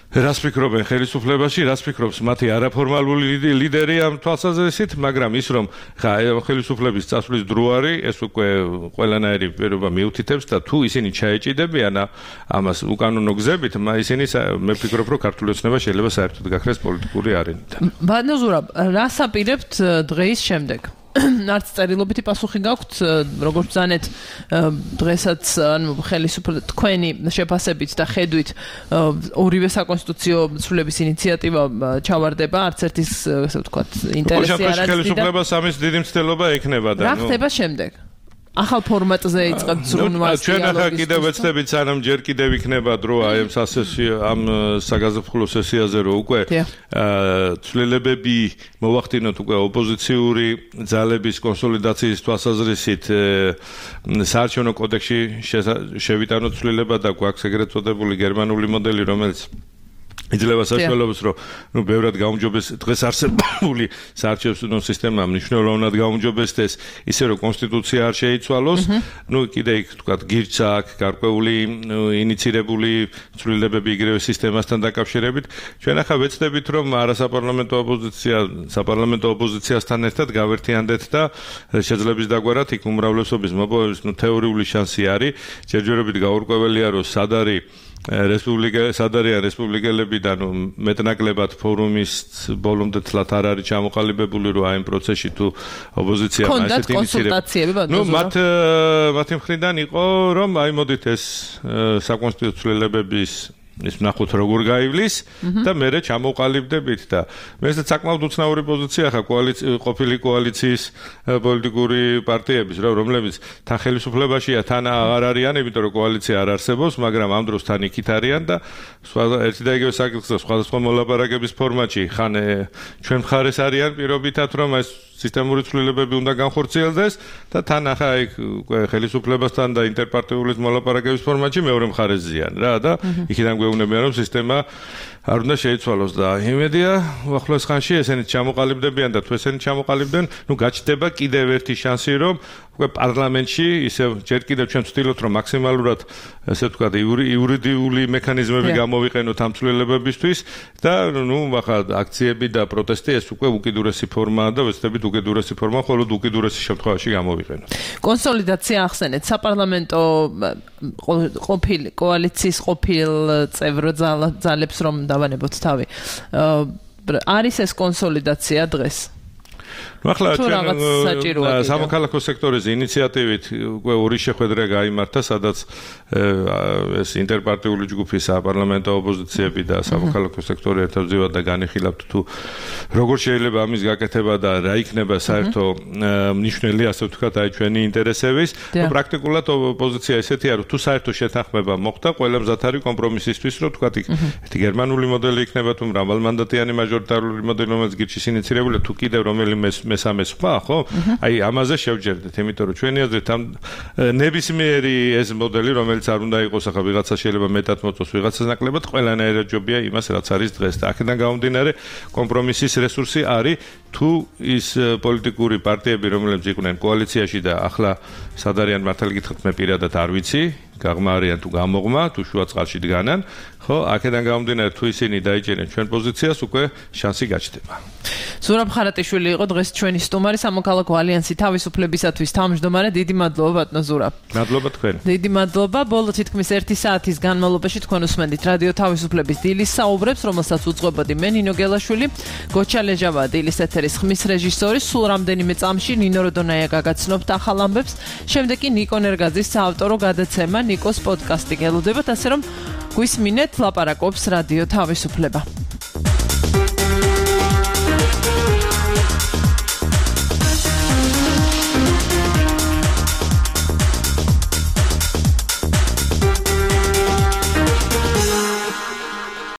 E: რას ფიქრობენ ხელისუფლებაში, რას ფიქრობს მათი არაფორმალური ლიდერი ამ თვალსაზრისით, მაგრამ ის რომ ხა ხელისუფლების წასვლის დრო არის, ეს უკვე ყველანაირი პირობა მიუთითებს და თუ ისინი ჩაეჭიდებიან ამას უკანონო გზებით, ისინი მე ვფიქრობ რომ ქართული ოცნება შეიძლება საერთოდ გაქრეს პოლიტიკური არენიდან.
C: ბატონო ზურაბ, რას აპირებთ დღეის შემდეგ? არც წერილობითი პასუხი გაქვთ, როგორც ბრძანეთ დღესაც ანუ ხელისუფლება თქვენი შეფასებით და ხედვით ორივე საკონსტიტუციო ცვლილების ინიციატივა ჩავარდება, არც ერთის ასე ვთქვათ ინტერესი არ არის.
E: ხელისუფლებას ამის დიდი მცდელობა ექნება და
C: რა ხდება შემდეგ? ახალ ფორმატზე იწყებთ ზრუნვას.
E: ჩვენ ახლა კიდევ ვეცდებით სანამ ჯერ კიდევ იქნება დრო აი ამ სასესიო ამ საგაზაფხულო სესიაზე რომ უკვე ცვლილებები მოვახდინოთ უკვე ოპოზიციური ძალების კონსოლიდაციის თვალსაზრისით საარჩევნო კოდექსში შევიტანოთ ცვლილება და გვაქვს ეგრეთ წოდებული გერმანული მოდელი რომელიც იძლევა საშუალებას რომ ნუ ბევრად გაუმჯობეს დღეს არსებული საარჩევნო სისტემა მნიშვნელოვნად გაუმჯობესდეს ისე რომ კონსტიტუცია არ შეიცვალოს ნუ კიდე იქ თქვა გირჩა აქვს გარკვეული ინიცირებული ცვლილებები იგივე სისტემასთან დაკავშირებით ჩვენ ახლა ვეცდებით რომ არასაპარლამენტო ოპოზიცია საპარლამენტო ოპოზიციასთან ერთად გავერთიანდეთ და შეძლების დაგვარად იქ უმრავლესობის მოპოვების ნუ თეორიული შანსი არის ჯერჯერობით გაურკვეველია რომ სად არის რესპუბლიკა სადარია რესპუბლიკელები და ნუ მეტნაკლებად ფორუმის ბოლომდე თლათ არ არის ჩამოყალიბებული რომ აი იმ პროცესში თუ ოპოზიცია
C: ასეთი ინიციატივები
E: ნუ მათ მათი მხრიდან იყო რომ აი მოდით ეს საკონსტიტუციო ცვლილებების ის ნახოთ როგორ გაივლის და მერე ჩამოყალიბდებით და მე ეს საკმაოდ უცნაური პოზიცია ხა კოალიცია ყოფილი კოალიციის პოლიტიკური პარტიების რა რომლებიც თან ხელისუფლებაშია თან აღარ არიან იმიტომ რომ კოალიცია არ არსებობს მაგრამ ამ დროს თან იქით არიან და სხვა ერთი და იგივე საკითხზე სხვადასხვა მოლაპარაკების ფორმატში ხან ჩვენ მხარეს არიან პირობითად რომ ეს სისტემური ცვლილებები უნდა განხორციელდეს და თან ახლა იქ უკვე ხელისუფლებასთან და ინტერპარტიული მოლაპარაკების ფორმატში მეორე მხარეს ზიან რა და იქიდან გვეუბნებიან რომ სისტემა არ უნდა შეიცვალოს და იმედია ახლოს ხანში ესენი ჩამოყალიბდებიან და თუ ესენი ჩამოყალიბდნენ ნუ გაჩნდება კიდევ ერთი შანსი რომ უკვე პარლამენტში ისე ჯერ კიდევ ჩვენ ვცდილობთ რომ მაქსიმალურად ესე ვთქვათ იურიდიული მექანიზმები გამოვიყენოთ ამ ცვლილებებისთვის და ნუ ახლა აქციები და პროტესტი ეს უკვე უკიდურესი ფორმაა და ვეცდებით უკიდურესი ფორმა მხოლოდ უკიდურესი შემთხვევაში გამოვიყენოთ.
C: კონსოლიდაცია ახსენეთ საპარლამენტო ყოფილი კოალიციის ყოფილ წევრ ძალებს რომ დავანებოთ თავი. არის ეს კონსოლიდაცია დღეს?
E: ნუ ახლა ჩვენ სამოქალაქო სექტორის ინიციატივით უკვე ორი შეხვედრა გაიმართა, სადაც ეს ინტერპარტიული ჯგუფი საპარლამენტო ოპოზიციები და სამოქალაქო სექტორი ერთად და განიხილავთ თუ როგორ შეიძლება ამის გაკეთება და რა იქნება საერთო მნიშვნელი, ასე ვთქვათ, აი ჩვენი ინტერესების. ნუ პრაქტიკულად ოპოზიცია ესეთია, რომ თუ საერთო შეთანხმება მოხდა, ყველა მზად არის კომპრომისისთვის, რომ ვთქვათ, ერთი გერმანული მოდელი იქნება თუ მრავალმანდატიანი მაჟორიტარული მოდელი, რომელიც გირჩის ინიცირებულია, თუ კიდევ რომელიმე მესამე სხვა, ხო? აი ამაზე შევჯერდეთ, იმიტომ რომ ჩვენი აზრით ამ ნებისმიერი ეს მოდელი, რომელიც არ უნდა იყოს, ახლა ვიღაცა შეიძლება მეტად მოწოს, ვიღაცას ნაკლებად, ყველანაირად ჯობია იმას, რაც არის დღეს და აქედან გამომდინარე კომპრომისის რესურსი არის, თუ ის პოლიტიკური პარტიები, რომლებიც იყვნენ კოალიციაში და ახლა სად არიან მართალი გითხრათ, მე პირადად არ ვიცი, გაღმა არიან თუ გამოღმა, თუ შუა წყალში დგანან, ხო, აქედან გამომდინარე თუ ისინი დაიჭერენ ჩვენ პოზიციას, უკვე შანსი გაჩნდება.
C: ზურაბ ხარატიშვილი იყო დღეს ჩვენი სტუმარი სამოქალაქო ალიანსი თავისუფლებისათვის თავმჯდომარე. დიდი მადლობა ბატონო ზურაბ.
E: მადლობა თქვენ.
C: დიდი მადლობა. ბოლო თითქმის ერთი საათის განმავლობაში თქვენ უსმენდით რადიო თავისუფლების დილის საუბრებს, რომელსაც უძღვებოდი მე ნინო გელაშვილი, გოჩა ლეჟავა დილის ეთერის ხმის რეჟისორი. სულ რამდენიმე წამში ნინო როდონაია გაგაცნობთ ახალ ამბებს. შემდეგ კი ნიკო ნერგაძის საავტორო გადაცემა ნიკოს პოდკასტი გელოდებათ, ასე რომ გვისმინეთ ლაპარაკობს რადიო თავისუფლება.